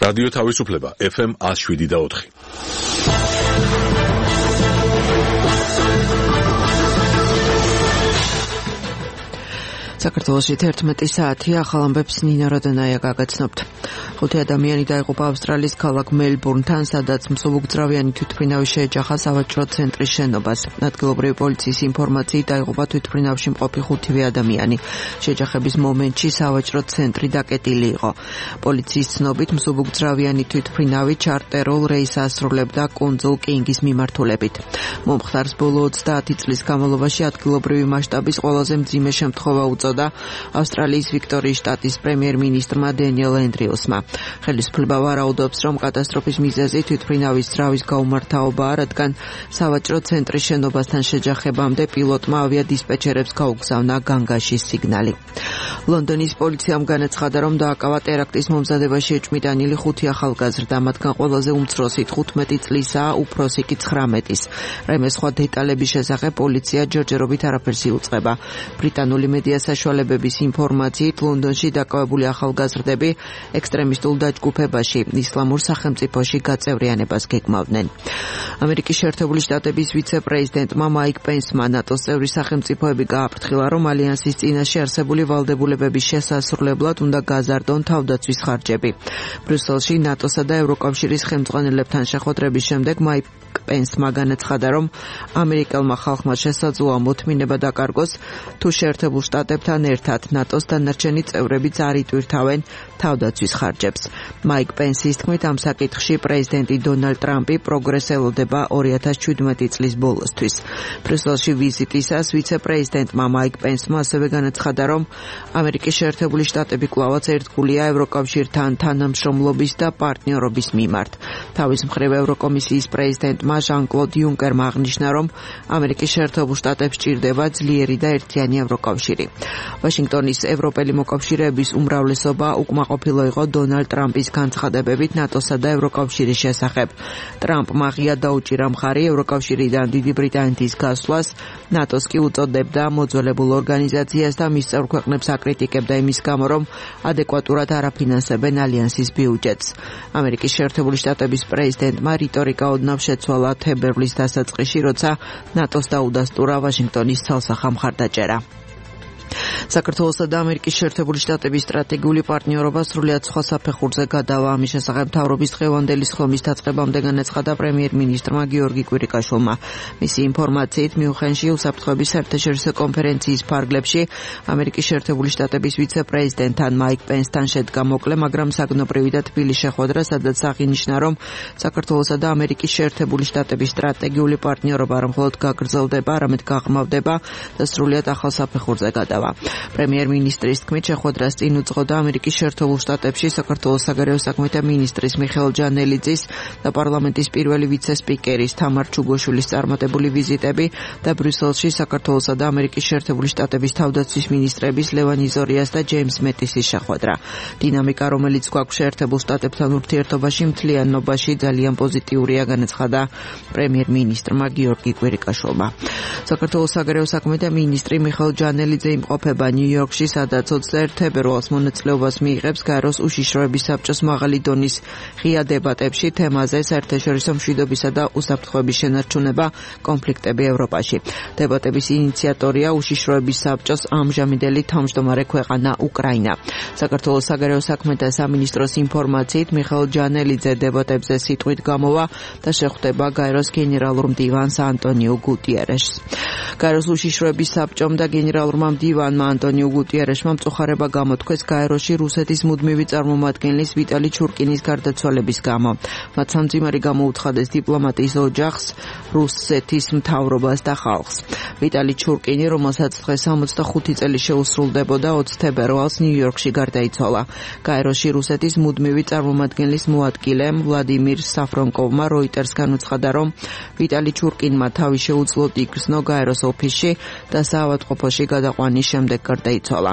რადიო თავისუფლება FM 107.4. საქართველოში 11 საათი ახალ ამბებს ნინა როდონაია გაგაცნობთ. 5 ადამიანი დაიღუპა ავსტრალიის ქალაქ მელბურნთან, სადაც მსუბუქძრავიანი თვითმფრინავი შეეჯახა სავაჭრო ცენტრის შენობას. ადგილობრივი პოლიციის ინფორმაციით დაიღუპა თვითმფრინავში მყოფი 5 ადამიანი. შეჯახების მომენტში სავაჭრო ცენტრი დაკეტილი იყო. პოლიციის ცნობით მსუბუქძრავიანი თვითმფრინავი ჩარტერულ რეისს ასრულებდა კუნძულ კინგის მიმართულებით. მომხდარს ბოლო 30 წლის განმავლობაში ადგილობრივი მასშტაბის ყველაზე მძიმე შემთხვევა უწოდა ავსტრალიის ვიქტორიის შტატის პრემიერ-მინისტრმა დენიელ ენდრიუსმა. ხელისუფლება ვარაუდობს, რომ კატასტროფის მიზეზი თვითმფრინავის ძრავის გაუმართავობაა, რადგან სავაჭრო ცენტრის შენობასთან შეჯახებამდე პილოტმა ავიადისპეჩერებს გაუგზავნა განგაშის სიგნალი. ლონდონის პოლიციამ განაცხადა, რომ დააკავა ტერაქტის მომზადებაში ეჭვმიტანილი 5 ახალგაზრდა, მათგან ყველაზე უმცროსი 15 წლისაა, უფროსი კი 19-ის. რაიმე სხვა დეტალების შესახებ პოლიცია ჯერჯერობით არაფერს იუწყება. ბრიტანული მედია საშუალებების ინფორმაციით ლონდონში დაკავებული ახალგაზრდები ექსტრემისტულ დაჯგუფებაში ისლამურ სახელმწიფოში გაწევრიანებას გეგმავდნენ. ამერიკის შეერთებული შტატების ვიცე-პრეზიდენტმა მაიკ პენსმა ნატოს წევრი სახელმწიფოები გააფრთხილა, რომ ალიანსის წინაშე არსებული ვალდებულებების შესასრულებლად უნდა გაზარდონ თავდაცვის ხარჯები. ბრიუსელში ნატოსა და ევროკავშირის ხელმძღვანელებთან შეხვედრების შემდეგ მაიკ პენსმა განაცხადა, რომ ამერიკელმა ხალხმა შესაძლოა მოთმინება დაკარგოს, თუ შეერთებულ შტატებთან ერთად ნატოს დანარჩენი წევრებიც არ იტვირთავენ თავდაცვის ხარჯებს. მაიკ პენსის თქმით, ამ საკითხში პრეზიდენტი დონალდ ტრამპი პროგრესს ელოდება 2017 წლის ბოლოსთვის. ბრიუსელში ვიზიტისას ვიცე-პრეზიდენტმა მაიკ პენსმა ასევე განაცხადა, რომ ამერიკის შეერთებული შტატები კვლავაც ერთგულია ევროკავშირთან თანამშრომლობის და პარტნიორობის მიმართ. თავის მხრივ ევროკომისიის პრეზიდენტმა ჟან-კლოდ იუნკერმა აღნიშნა, რომ ამერიკის შეერთებულ შტატებს სჭირდება ძლიერი და ერთიანი ევროკავშირი. ვაშინგტონის ევროპელი მოკავშირეების უმრავლესობა უკმაყოფილო იყო დონალდ ტრამპის განცხადებებით ნატოსა და ევროკავშირის შესახებ. ტრამპმა ღია დაუჭირა მხარი ევროკავშირიდან დიდი ბრიტანეთის გასვლას, ნატოს კი უწოდებდა მოძველებულ ორგანიზაციას და მის წევრ ქვეყნებს აკრიტიკებდა იმის გამო, რომ ადეკვატურად არაფინანსებენ ალიანსის ბიუჯეტს. ამერიკის შეერთებული შტატების პრეზიდენტმა რიტორიკა ოდნავ შეცვალა თებერვლის დასაწყისში, როცა ნატოს დაუდასტურა ვაშინგტონის ცალსახა მხარდაჭერა. საქართველოსა და ამერიკის შეერთებული შტატების სტრატეგიული პარტნიორობა სრულიად სხვა საფეხურზე გადავა. ამის შესახებ მთავრობის დღევანდელი სხდომის დაწყებამდე განაცხადა პრემიერ-მინისტრმა გიორგი კვირიკაშვილმა. მისი ინფორმაციით, მიუნხენში უსაფრთხოების საერთაშორისო კონფერენციის ფარგლებში ამერიკის შეერთებული შტატების ვიცე-პრეზიდენტთან მაიკ პენსთან შედგა მოკლე, მაგრამ საგნობრივი და თბილი შეხვედრა, სადაც აღინიშნა, რომ საქართველოსა და ამერიკის შეერთებული შტატების სტრატეგიული პარტნიორობა არ მხოლოდ გაგრძელდება, არამედ გაღრმავდება და სრულიად ახალ საფეხურზე გადავა. პრემიერ-მინისტრის თქმით, შეხვედრას წინ უძღოდა ამერიკის შეერთებულ შტატებში საქართველოს საგარეო საქმეთა მინისტრის მიხეილ ჯანელიძის და პარლამენტის პირველი ვიცე-სპიკერის თამარ ჩუგოშვილის წარმატებული ვიზიტები და ბრიუსელში საქართველოსა და ამერიკის შეერთებული შტატების თავდაცვის მინისტრების ლევან იზორიას და ჯეიმს მეტისის შეხვედრა. დინამიკა, რომელიც გვაქვს შეერთებულ შტატებთან ურთიერთობაში, მთლიანობაში ძალიან პოზიტიურია, განაცხადა პრემიერ-მინისტრმა გიორგი კვირიკაშვილმა. საქართველოს საგარეო საქმეთა მინისტრი მიხეილ ჯანელიძე იმყოფება ნიუ-იორკში, სადაც 21 თებერვალს მონაწილეობას მიიღებს გაეროს უშიშროების საბჭოს მაღალი დონის ღია დებატებში თემაზე საერთაშორისო მშვიდობისა და უსაფრთხოების შენარჩუნება, კონფლიქტები ევროპაში. დებატების ინიციატორია უშიშროების საბჭოს ამჟამინდელი თავმჯდომარე ქვეყანა უკრაინა. საქართველოს საგარეო საქმეთა სამინისტროს ინფორმაციით, მიხეილ ჯანელიძე დებატებზე სიტყვით გამოვა და შეხვდება გაეროს გენერალურ მდივანს ანტონიო გუტიერეშს. გაეროს უშიშროების საბჭომ და გენერალურმა მდივანმა ანტონიო გუტიერეშმა მწუხარება გამოთქვეს გაეროში რუსეთის მუდმივი წარმომადგენლის ვიტალი ჩურკინის გარდაცვალების გამო. მათ სამძიმარი გამოუცხადეს დიპლომატიის ოჯახს, რუსეთის მთავრობას და ხალხს. ვიტალი ჩურკინი, რომელსაც დღეს 65 წელი შეუსრულდებოდა, 20 თებერვალს ნიუ-იორკში გარდაიცვალა. გაეროში რუსეთის მუდმივი წარმომადგენლის მოადგილე ვლადიმირ საფრონკოვმა როიტერს განუცხადა, რომ ვიტალი ჩურკინმა თავი შეუძლოდ იგრძნო გაეროს ოფისში და საავადმყოფოში გადაყვანის შემდეგ გარდაიცვალა.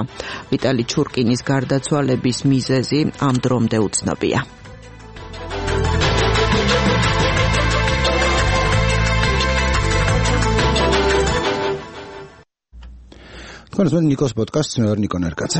ვიტალი ჩურკინის გარდაცვალების მიზეზი ამ დრომდე უცნობია. თქვენ ნიკოს პოდკასტს მე ვარ ნიკო ნერკაძე.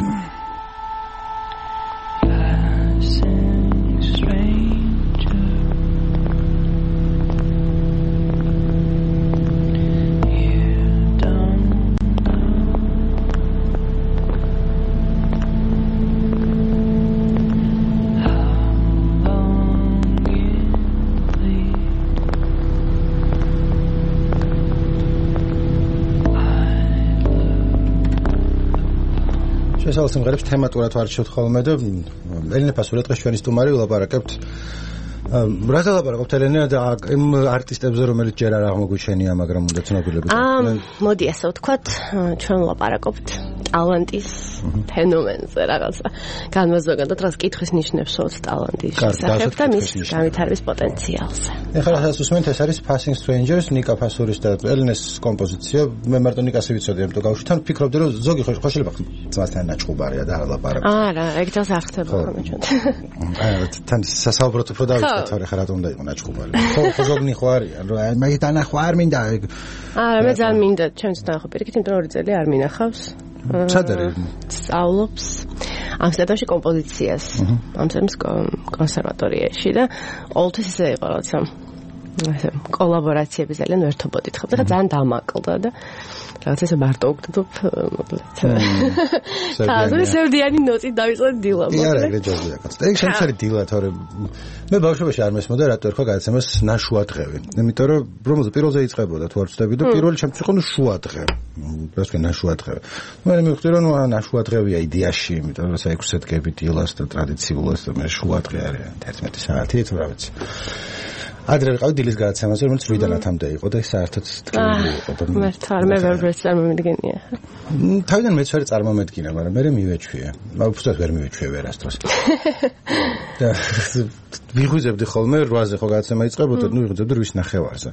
შესავალ სიმღერებს თემატურად ვარჩევთ ხოლმე და ელენე ფასურია დღეს ჩვენი სტუმარი ვილაპარაკებთ რაზე ლაპარაკობთ ელენე და იმ არტისტებზე რომელიც ჯერ არ აღმოგვიჩენია მაგრამ უნდა ცნობილები მოდი ასე ვთქვათ ჩვენ ლაპარაკობთ ტალანტის ფენომენზე რაღაცა განმაზოგადოთ რაც კითხვის ნიშნებს ვთქვათ ტალანტის შესახებ და მის განვითარების პოტენციალზე ეხლა რასაც უსმენთ ეს არის Passing Strangers ნიკა ფასურის და ელენეს კომპოზიცია მე მარტო ნიკას ვიცოდი ამიტომ გავუშვით თან ვფიქრობდი რომ ზოგი ხო შეიძლება ძმასთან დაჭყუბარია და ლაპარაკობ არა ეგ თავს არ ხდება ხოლმე ჩვენ აი თან სასაუბროთ უფრო დავიწყეთ ხარ რა უნდა იყო ნაჭყუბარი ხო ზოგნი ხო არიან რომ მე დანახვა არ მინდა არა მე ძალიან მინდა ჩვენც დანახვა პირიქით იმიტომ რომ 2 წელი არ მინახავს სად არის სწავლობს ამსტერდამში კომპოზიციას ამსტერდამის კონსერვატორიაში და ყოველთვის ისე იყო რაღაცა ასე კოლაბორაციები ძალიან ვერთობოდით ხო და ძალიან დამაკლდა და რაღაც ესე მარტო ვგდობ მოკლედ თაზური სევდიანი ნოტი დავიწყე დილა მოკლედ არა ეგრე ჯობია კაცო ეგ შემცარი დილა თორე მე ბავშვობაში არ მესმოდა რატო ერქვა გადაცემას ნაშუა დღევი იმიტომ რომ რომელზე პირველზე იწყებოდა თუ არ ვწდები და პირველი ჩემთვის იყო შუა დღე პროსტო ნაშუა დღე მე მივხვდი რომ ნაშუა დღევია იდეაში იმიტომ რომ 6 დგები დილას და ტრადიციულად და მე შუა დღე არის 11 საათი თუ რა ვიცი ადრე ვიყავი დილის გადაცემაზე, რომელიც 8-დანათამდე იყო და საერთოდ ტკივილი იყო და მე თარ მე ვერ წარმომედგენია. თავიდან მეც ვერ წარმომედგინა, მაგრამ მე მივეჩვია. უბრალოდ ვერ მივეჩვია ვერასდროს. და ვიღვიძებდი ხოლმე 8-ზე ხო გადაცემა იწყებოდა, ნუ ვიღვიძებდი 8-ის ნახევარზე.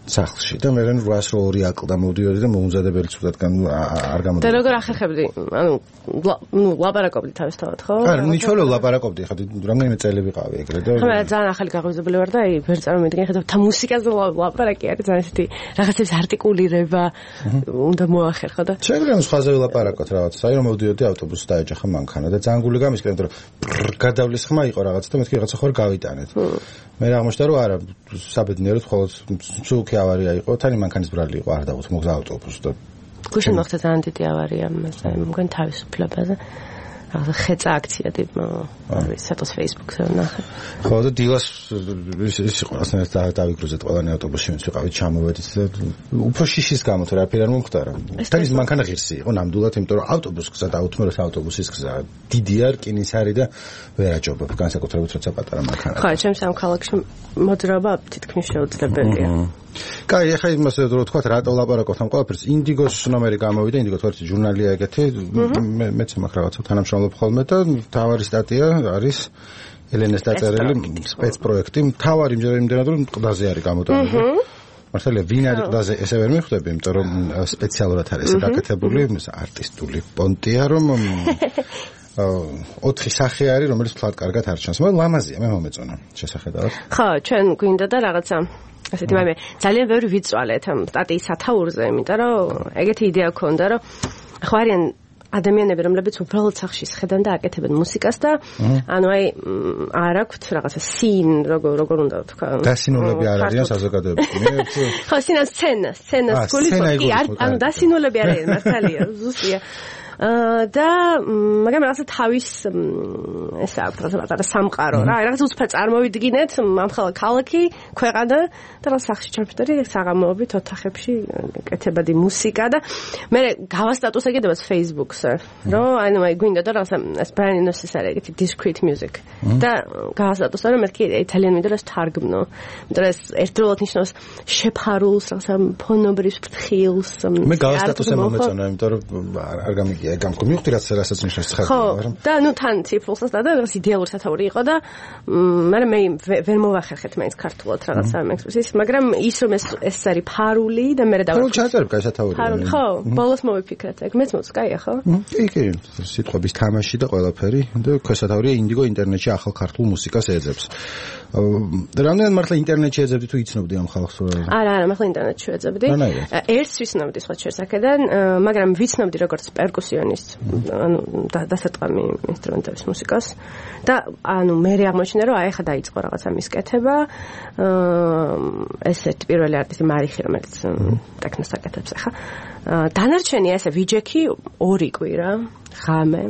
სახლში და მე რენ 802 აკლდა მოდიოდი და მოუმზადებელი ცუდათგან არ გამოდიოდა. და როგორ ახერხებდი? ანუ ლაპარაკობდი თავისთავად, ხო? არა, ნიჩოლო ლაპარაკობდი, ხა რამდენიმე წელი ვიყავი ეგრე და ხა ძალიან ახალი გაღვიძებელი ვარ და აი ვერ წარმომედგენ, ხა და მუსიკაზე ლაპარაკი არის ძალიან ისეთი რაღაცების არტიკულირება უნდა მოახერხო და შეიძლება სხვაზე ვილაპარაკოთ რაღაც. აი რომ მოდიოდი ავტობუსს დაეჯახა მანქანა და ძალიან გული გამისკენ, იმიტომ რომ გადავლის ხმა იყო რაღაც და მეთქი რაღაცა ხარ გავიტანეთ. მე აღმოჩნდა რომ არა საბედნიეროდ მხოლოდ სულკი ავარია იყო, თანი მანქანის ბრალი იყო, არ დავუთ მოგზა ავტობუსს და გუშინ მოხდა ძალიან დიდი ავარია მასე მგონი თავისუფლებაზე რაღაცა ხეწა აქცია ტიპ არის სატოს Facebook-ზე ნახე ხო და დილას ის იყო ასნაირად დავიგრუზეთ ყველანი ავტობუსში ვინც ვიყავით ჩამოვედით და უფრო შიშის გამო თუ რაფერი არ მომხდარა თანის მანქანა ღირსი იყო ნამდვილად იმიტომ რომ ავტობუსს გზა და უთმეროს ავტობუსის გზა დიდი არ რკინის არის და ვერ აჯობებ განსაკუთრებით როცა პატარა მანქანა ხო ჩემს ამ ქალაქში მოძრაობა თითქმის შეუძლებელია კაი, ახლა იმას რო თქვა რატო ლაპარაკობთ ამ ყველაფერს ინდიგოს ნომერი გამოვიდა, ინდიგო თორე ჟურნალია ეგეთი, მეც მაგ რაღაცა თანამშრომლობ ხოლმე და თავარი სტატია არის ელენეს დაწერილი სპეცპროექტი, თავარი იმდენად რომ ყდაზე არის გამოტანილი. მართალია ვინ არის ყდაზე, ესე ვერ მიხვდები, იმიტომ რომ სპეციალურად არის გაკეთებული არტისტული პონტია, რომ 4 სახე არის, რომელიც თლად კარგად არ ჩანს. მაგრამ ლამაზია, მე მომეწონა შესახედავად. ხო, ჩვენ გვინდა და რაღაცა ასეთი მე ძალიან ბევრი ვიწვალეთ ამ სტატიის სათაურზე, იმიტომ რომ ეგეთი იდეა ქონდა, რომ ხო არიან ადამიანები, რომლებიც უბრალოდ სახში შეხედან და აკეთებენ მუსიკას და ანუ აი არ აქვთ რაღაცა სინ, როგორ უნდა ვთქვა. დასინულები არ არიან საზოგადოებაში. ხო, სცენას გულისხმობ. ანუ დასინულები არ არიან, მართალია, ზუსტია. და მაგრამ რაღაცა თავის ესა აქვს რაღაცა სამყარო რა რაღაცა უცბად წარმოვიდგინეთ ამხელა ქალაქი ქვეყანა და რა სახში ჩამფრთები საღამოობით ოთახებში კეთებადი მუსიკა და მე გავასტატუსე კიდევაც Facebook-ზე რომ ანუ აი გვინდა და რაღაცა ეს ბრაინოს ეს არის ეგეთი discrete music და გავასტატუსე რომ მეთქი იტალიან მინდა რომ თარგმნო იმიტომ რომ ეს ერთდროულად ნიშნავს შეფარულს რაღაცა ფონობრის ფრთხილს მე გავასტატუსე მომეწონა იმიტომ რომ არ გამიგია გამკო მივხვდი რასაც ნიშნავს ცხადია მაგრამ და ნუ თან ციფრულსაც და რაღაც იდეალური სათაური იყო და მაგრამ მე ვერ მოვახერხეთ მაინც ქართულად რაღაცა მექსპრესის მაგრამ ის რომ ეს არის ფარული და მე და ხო ჩაწერებ კაი სათაური ხო ბოლოს მოვიფიქრეთ ეგ მეც მოწკაია ხო კი სიტყვების თამაში და ყველაფერი და ქვესათაურია ინდიგო ინტერნეტში ახალ ქართულ მუსიკას ეძებს რამდენად მართლა ინტერნეტში ეძებდი თუ იცნობდი ამ ხალხს არა მართლა ინტერნეტში ეძებდი ერთს ვიცნობდი სხვა შესახედან მაგრამ ვიცნობდი როგორც პერკუსიონისტ ანუ დასატყამი ინსტრუმენტების მუსიკას და ანუ მე აღმოჩნდა რომ აი ხა დაიწყო რაღაცა მის კეთება ესეთ პირველი არტისტი მარიხი რომელიც ტექნოს აკეთებს ახლა დანარჩენი ესე ვიჯექი 2 კვირა ღამე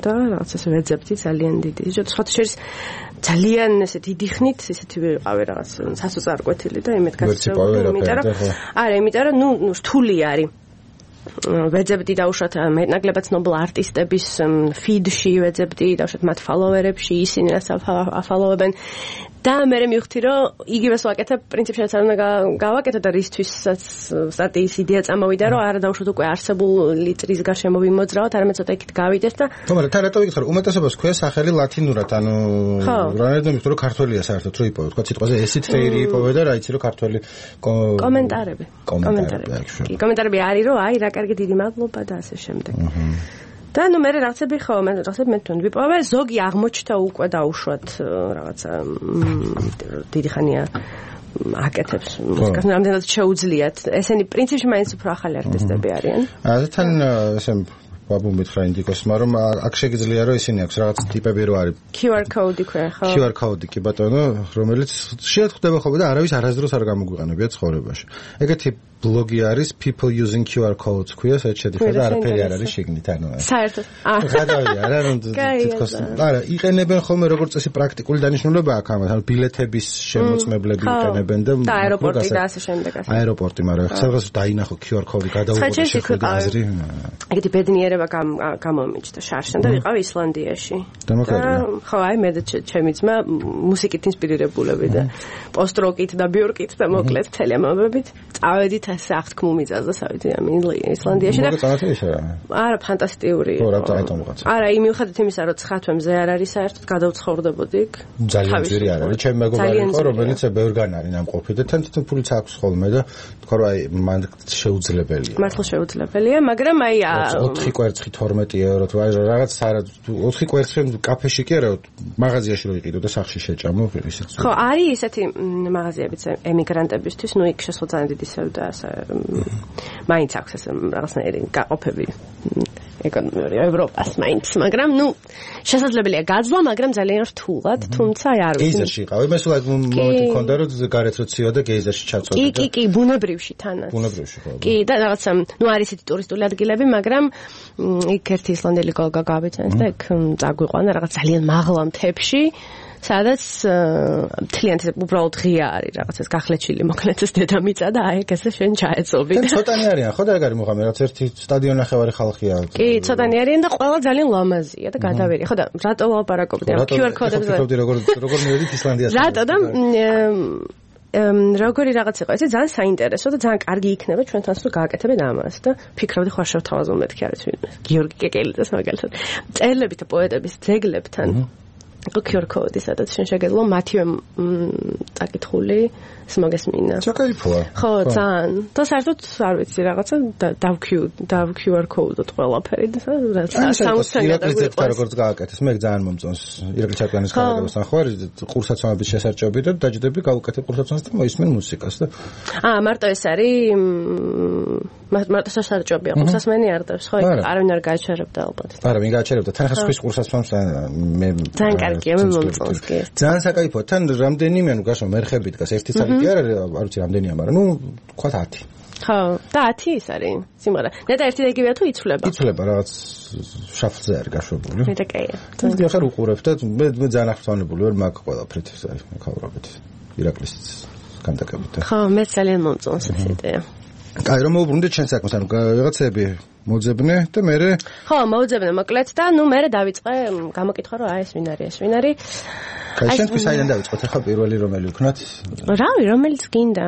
და რაღაც ესე ვეძებდი ძალიან დიდი სხვა შეიძლება ძალიან ესე დიდი ხნით ესეთი ვიყავი რაღაც სასოწარკვეთილი და იმედ გასწრებული იმიტომ რომ არა იმიტომ რომ ნუ რთული არის ვეძებდი დაუშვათ მეტნაკლებად ცნობილ არტისტების ფიდში ვეძებდი დაუშვათ მათ ფოლოვერებში ისინი რაც აფოლოვებენ და მე მივხვდი რომ იგივეს ვაკეთებ პრინციპში რაც არ უნდა გავაკეთო და რისთვისაც სტატიის იდეა წამოვიდა რომ არა დაუშვათ უკვე არსებული წრის გარშემო ვიმოძრავოთ არამედ ცოტა იქით გავიდეს და თუმცა თან რატო ვიკითხე რომ უმეტესობას ქვია სახელი ლათინურად ანუ რანაირად მივხვდი რომ ქართველია საერთოდ რო იპოვე თქვა სიტყვაზე ესით ფეირი იპოვე და რა იცი რომ ქართველი კომენტარები კი კომენტარები არის რომ აი რა კარგი დიდი მადლობა და ასე შემდეგ და ნუ მე რაღაცები ხო მე რაღაცები მე თვითონ ვიპოვე ზოგი აღმოჩნდა უკვე დაუშვათ რაღაცა დიდი ხანია აკეთებს მუსიკას რამდენად შეუძლიათ ესენი პრინციპში მაინც უფრო ახალი არტისტები არიან თან ესე ვაბუმით რა ინდიკოს მაგრამ აქ შეგიძლია რომ ისინი აქვს რაღაც ტიპები რო არის QR code ქვია ხო QR code კი ბატონო რომელიც შეხვდება ხოლმე და არავის არასდროს არ გამოგვიყენებია ცხოვრებაში ეგეთი ბლოგი არის people using QR codes ქვია საერთოდ შედიხარ და არაფერი არ არის შეგნით ანუ საერთოდ გადავიდა არა რომ თითქოს არა იყენებენ ხოლმე როგორც წესი პრაქტიკული დანიშნულება აქვს ამას ანუ ბილეთების შემოწმებლები იყენებენ და აეროპორტი და ასე შემდეგ აეროპორტი მაგრამ სადღაც დაინახო QR code გადაუღო შეხვდა აზრი ეგეთი ბედნიერება გამომიჩნდა შარშან და ვიყავ ისლანდიაში ხო აი მე და ჩემი ძმა მუსიკით ინსპირირებულები და პოსტ-როკით და ბიორკით და მოკლედ მთელი ამბებით წავედით ასე აღთქმულ მიწაზე სავით ისლანდიაში და არა ფანტასტიკური არა იმ მიუხედავად იმისა რომ ცხათვე მზე არ არის საერთოდ გადავცხოვრდებოდი იქ ძალიან ძვირი არ არის ჩემი მეგობარი იყო რომელიც ბევრგან არის ნამყოფი და თან თვითონ ფულიც აქვს ხოლმე და თქვა რომ აი მან შეუძლებელია მართლა შეუძლებელია მაგრამ აი 4 კვერცხი 12 ევრო თუ აი რაღაც 4 კვერცხი კაფეში კი არა მაღაზიაში რო იყიდო და სახში შეჭამო ისიც ხო არის ესეთი მაღაზიებიც ემიგრანტებისთვის ნუ იქ შესაძლოა დიდი სევდა მაინც აქვს ეს რაღაცნაირი გაყოფები ეკონომიური ევროპას მაინც მაგრამ ნუ შესაძლებელია გაძლა მაგრამ ძალიან რთულად თუმცა აი არ ვიცი გეიზერში იყავი მე სულ მომენტი მქონდა რომ გარეთ რო ცივა და გეიზერში ჩაწოდე კი ბუნებრივში თანაც ბუნებრივში ხო კი და რაღაცა ნუ არის ისეთი ტურისტული ადგილები მაგრამ იქ ერთი ისლანდელი გოგა გავიცანს და იქ წაგვიყვანა რაღაც ძალიან მაღლა მთებში სადაც მთლიანად უბრალოდ ღია არის რაღაცას გახლეჩილი მოკლედ ეს დედამიწა და აი ეგ ესე შენ ჩაეწობი და ცოტანი არიან ხო და ეგ არის მოხამე რაც ერთი სტადიონ ნახევარი ხალხია კი ცოტანი არიან და ყველა ძალიან ლამაზია და გადავერი ხო და რატო ვლაპარაკობდი ამ QR კოდებზე როგორ მივედით ისლანდიას რატო და როგორი რაღაც იყო ესე ძალიან საინტერესო და ძალიან კარგი იქნება ჩვენთან თუ გააკეთებენ ამას და ფიქრობდი ხო შევთავაზო მეთქი არის ვინმე გიორგი კეკელიძეს მაგალითად წერლებით და პოეტების ძეგლებთან QR code სადაც შენ შეგეძლო მათივე წაკითხული მოგესმინა. ჩაკაიფოა. ხო, ძალიან. და საერთოდ არ ვიცი რაღაცა დავ QR code-ot ყველაფერი და სამოცანი და როგორც გააკეთეს, მე ძალიან მომწონს ირაკლი ჩარკვიანის ხარაგებასთან ხო არის ყურსაცმლების შესარჭები და დაჯდები გავუკეთებ ყურსაცმლს და მოისმენ მუსიკას და მარტო ეს არის მარტო შესარჭებია ყურსაცმლი არ დავს ხო არავინ არ გააჩერებდა ალბათ. არა, ვინ გააჩერებდა თან ხას ხვის ყურსაცმლს მე ძალიან კარგია მე მომწონს კი. ძალიან საკაიფოა თან რამდენიმე ანუ გაშო მერხები დგას ერთი წელი კი არა არ ვიცი რამდენია მაგრამ ნუ თქვა 10 ხო და 10 ის არის სიმღერა და ერთი და იგივეა თუ იცვლება რაღაც შაფლზე არის გაშვებული მე და კაია და ახლა უყურებ და მე ძალიან ახსოვანებული ვარ მაგ ყველაფრით ეს არის მეკავრობით ირაკლის კანტაკებით ხო მე ძალიან მომწონს ეს იდეა კაი რომ მოვუბრუნდეთ ჩვენ საქმეს ანუ რაღაცები მოძებნე და მე ხო მოძებნე მოკლედ და ნუ მე დავიწყე გამოკითხა რომ ეს ვინ არის კაი შენთვის აიდან დავიწყოთ ახლა პირველი რომელი ვქნათ რავი რომელიც გინდა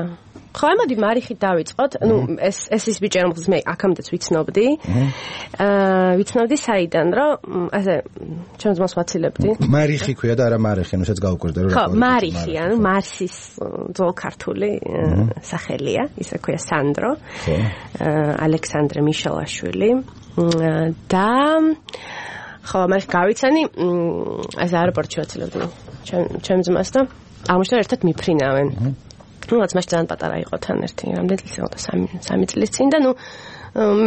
ხო ამოდი მარიხით დავიწყოთ ნუ ეს ის ბიჭი რომელსაც მე აქამდეც ვიცნობდი ვიცნობდი საიდან რომ ასე ჩემს მას ვაცილებდი მარიხი ქვია და არა მარიხი ანუ შეც გავუკვირდა რომ ხო მარიხი ანუ მარსის ძველ ქართული სახელია ისე ქვია სანდრო ალექსანდრე მიშელაშვილი და ხო მას გავიცანი ეს აეროპორტში ვაცილებდი ჩემ ძმას და აღმოჩნდა ერთად მიფრინავენ ну რაც მას ძალიან პატარა იყო თან ერთი რამდენი წელი იყო 3 წლის წინ და ну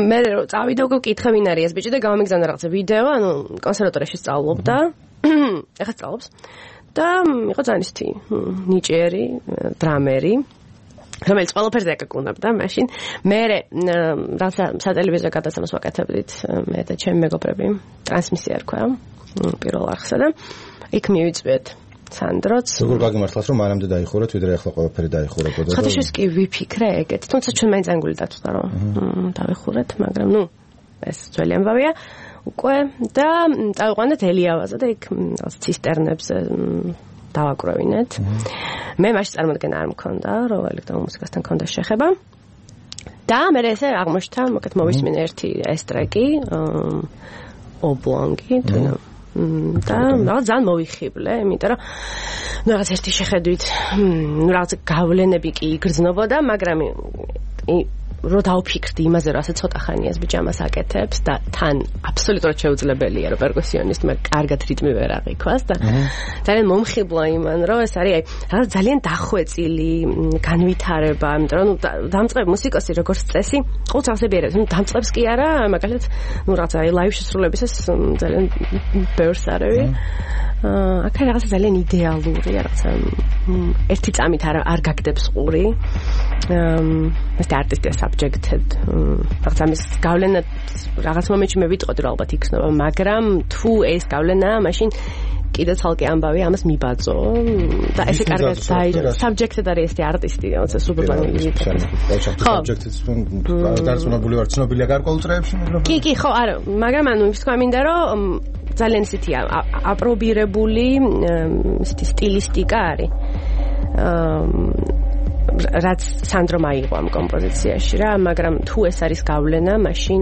მე რომ წავიდა უკვე ვკითხე ვინ არის ეს ბიჭი და გამომიგზავნა რაღაცა ვიდეო ანუ კონსერვატორიაში სწავლობდა ეხლა სწავლობს და იყო ძალიან ისეთი ნიჭიერი დრამერი რომელიც ყველაფერზე აკაკუნებდა მაშინ მე რაღაცა სატელევიზიო გადაცემას ვაკეთებდით მე და ჩემი მეგობრები ტრანსმისია რქვა პირველ არხსა და იქ მივიწვიეთ სანდროც. როგორ გაგიმართლას რომ მანამდე დაიხურეთ, ვიდრე ახლა ყველაფერი დაიხურებოდა. ხოთაშეს კი ვიფიქრე ეგეთ, თუმცა ჩვენ მაინც ანგული დაწვდა რომ დავიხურეთ, მაგრამ ეს ძველი ამბავია უკვე და წავიყვანეთ ელიავაზე და იქ ცისტერნებზე დავაკროვინეთ. მე მაშინ წარმოდგენა არ მქონდა, რომ ელექტრონულ მუსიკასთან მქონდა შეხება. და მე ესე აღმოჩნდა, მოკეთ მოვისმინე ერთი ეს ტრეკი, ობლონგი, და რაღაც ძალიან მოვიხიბლე, იმიტომ რომ რაღაც ერთი შეხედვით, რაღაც გავლენები კი იგრძნობოდა, მაგრამ რო დავფიქრდი იმაზე, რომ ასე ცოტა ხანია ეს ბიჭამას აკეთებს და თან აბსოლუტურად შეუძლებელია, რომ პერკუსიონისტმა კარგად რიტმი ვერ აღიქვას და ძალიან მომხიბლა იმან, რომ ეს არის რაღაც ძალიან დახვეწილი განვითარება, იმიტომ რომ დამწყებ მუსიკოსი როგორც წესი, ყოველთვის აღსებიერებს, დამწყებს კი არა, მაგალითად, რაღაც ლაივ შესრულებისას ძალიან ბევრს არევი. აქ რაღაცა ძალიან იდეალური, რაღაცა ერთი წამით არ გაგდებს ყური. ეს არტისტია subjected. რაღაცა მის გავლენა რაღაც მომენტში მე ვიტყოდი რომ ალბათ იქნება, მაგრამ თუ ეს გავლენაა, მაშინ კიდე ცალკე ამბავი ამას მიბაძო და ესე კარგად დაიჭრა. subjected არის ეს არტისტი, რაღაცა სუპერბანელი. ხო, subjected დარწმუნებული ვარ, ცნობილია გარკვეულ წრეებში, მაგრამ კი, ხო, არა, მაგრამ ანუ ის თქვა მინდა რომ ძალიან ისეთია აპრობირებული სტილისტიკა არის. რაც სანდრომ აიღო ამ კომპოზიციაში რა, მაგრამ თუ ეს არის გავლენა, მაშინ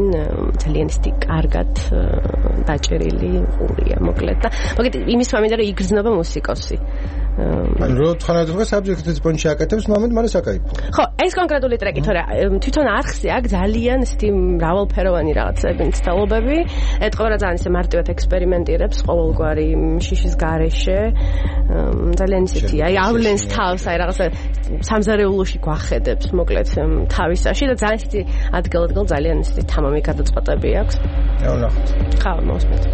ძალიან კარგად დაჭერილი ყურია, მოკლედ და მოგეთ იმის ვამინდა რომ იგრძნობა მუსიკოსი. რო თხანადღე subject-ის პონჩი აკეთებს, მომენტ მალე საკაიფო. ხო, ეს კონკრეტული ტრეკი, თორე თვითონ არხზე აქ ძალიან ისეთი მრავალფეროვანი რაღაცები, მცდელობები, ეტყობა რა ძალიან ისე მარტივად ექსპერიმენტირებს ყოველგვარი შიშის გარეშე. ძალიან ისეთი, აი ავლენს თავს, აი რაღაცა სამზარეულოში გვახედებს, მოკლედ თავისაში და ძალიან ისეთი ადგილ-ადგილ ძალიან ისეთი თამამი გადაწყვეტები აქვს. ვნახოთ. ხო, მოსმენთ.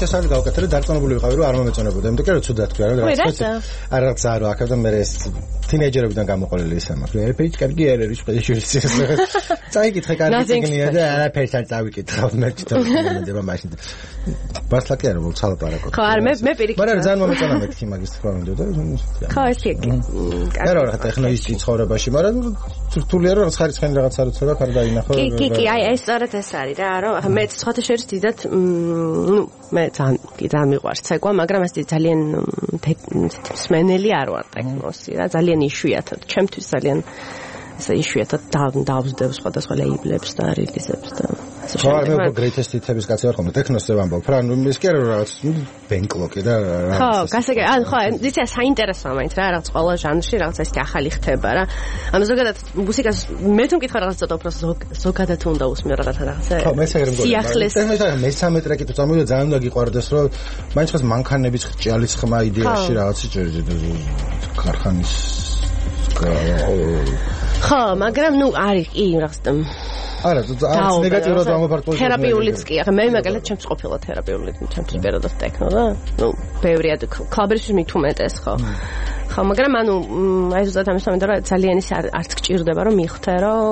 შესაძლოა გავკეთე, დარწმუნებული ვიყავი, რომ არ მომეწონებოდა. იმიტომ რომ ცუდად თქვა, რომ რაღაც არა აქ და მე ეს თინეიჯერებიდან გამოყოლილი ისე მაქვს. ერთ-ერთი კარგი ერერის შეშურისი. წაიკითხე კარგი ციგნია და არაფერს არ წავიკითხავ მე თვითონ მაშინ. ბასლაკი არა მოცალაპარაკო. ხო, არ მე პირიქით. მაგრამ ძალიან მომეწონა მეთქი მაგის თქვა უნდა და ხო, ესე იგი. არა, ეხლა ის ცხოვრებაში, მაგრამ რთულია რომ რაღაც ხარისხენი რაღაც არ უცებ არ დაინახო. კი, აი ეს სწორედ ეს არის რა, რომ მე სხვათა შორის დიდად მე ძალიან მიყვარს ცეკვა, მაგრამ ეს ძალიან მსმენელი არ ვარ ტექნოსი რა, ძალიან იშვიათად, ჩემთვის ძალიან ესე იშვიათად დავსდევ სხვადასხვა ლეიბლებს და რილიზებს და ასე ხო, მე greatest hits-ების კაცი ვარ ხომ, ტექნოსზე ვამბობ რა, ის კი არა რაღაც ბენკლოკი და რა. ხო, გასაგე, ხო, იცი საინტერესოა მაინც რა, რაღაც ყველა ჟანრში რაღაც ესეთი ახალი ხდება რა. ანუ ზოგადად მუსიკას მე თუ მკითხა რაღაც ცოტა უფრო ზოგადად უნდა усმიო რაღაცა. ხო, მე ესე გრემ გონია. მესამე ტრეკი თუ წამოვიდა ძალიან უნდა გიყვარდეს, რომ მაინც ხოს მანქანების ჭიალის ხმა იდეაში რაღაცი ქარხანის ხო, მაგრამ ნუ არის კი რაღაც არა, არც ნეგატიურად ამოფარტოს. თერაპიულიც კი, ახლა მე მაგალითად ჩემს ყოფილა თერაპიული, ჩემთვის პირადად ტექნო და ნუ ბევრი კლუბებში მithumetes ხო. ხო, მაგრამ ანუ აი ზუსტად ამის მომენტი რომ ძალიან ის არც გჭირდება რომ მიხვდე რომ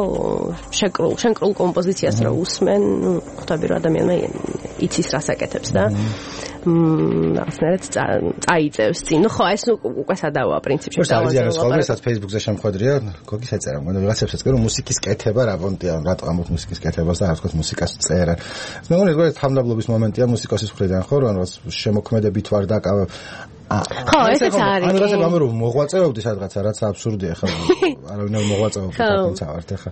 შეკრულ კომპოზიციას რა უსმენ, ნუ ხვდები რომ ადამიანმა იცის რას აკეთებს და რაღაცნაირად წაიწევს წინ. ნუ ხო, ეს უკვე სადავოა პრინციპში. დავაზიანოს ხოლმე სადაც Facebook-ზე შემხვედრია, გოგის ეწერა, მაგრამ ვიღაცებსაც კი რომ მუსიკის კეთება რა პონტია, რატო ამოთ მუსიკის კეთებას და რა თქოს მუსიკას წერა. მე მგონი ეს თამდაბლობის მომენტია მუსიკოსის მხრიდან ხო, რომ რაღაც შემოქმედებით ვარ და ხო, ესეც არის. ანუ რასე გამერო მოღვაწეობდი სადღაცა, რაც აბსურდია ხო. არავინ არ მოღვაწეობს თვითონ ვართ ახლა.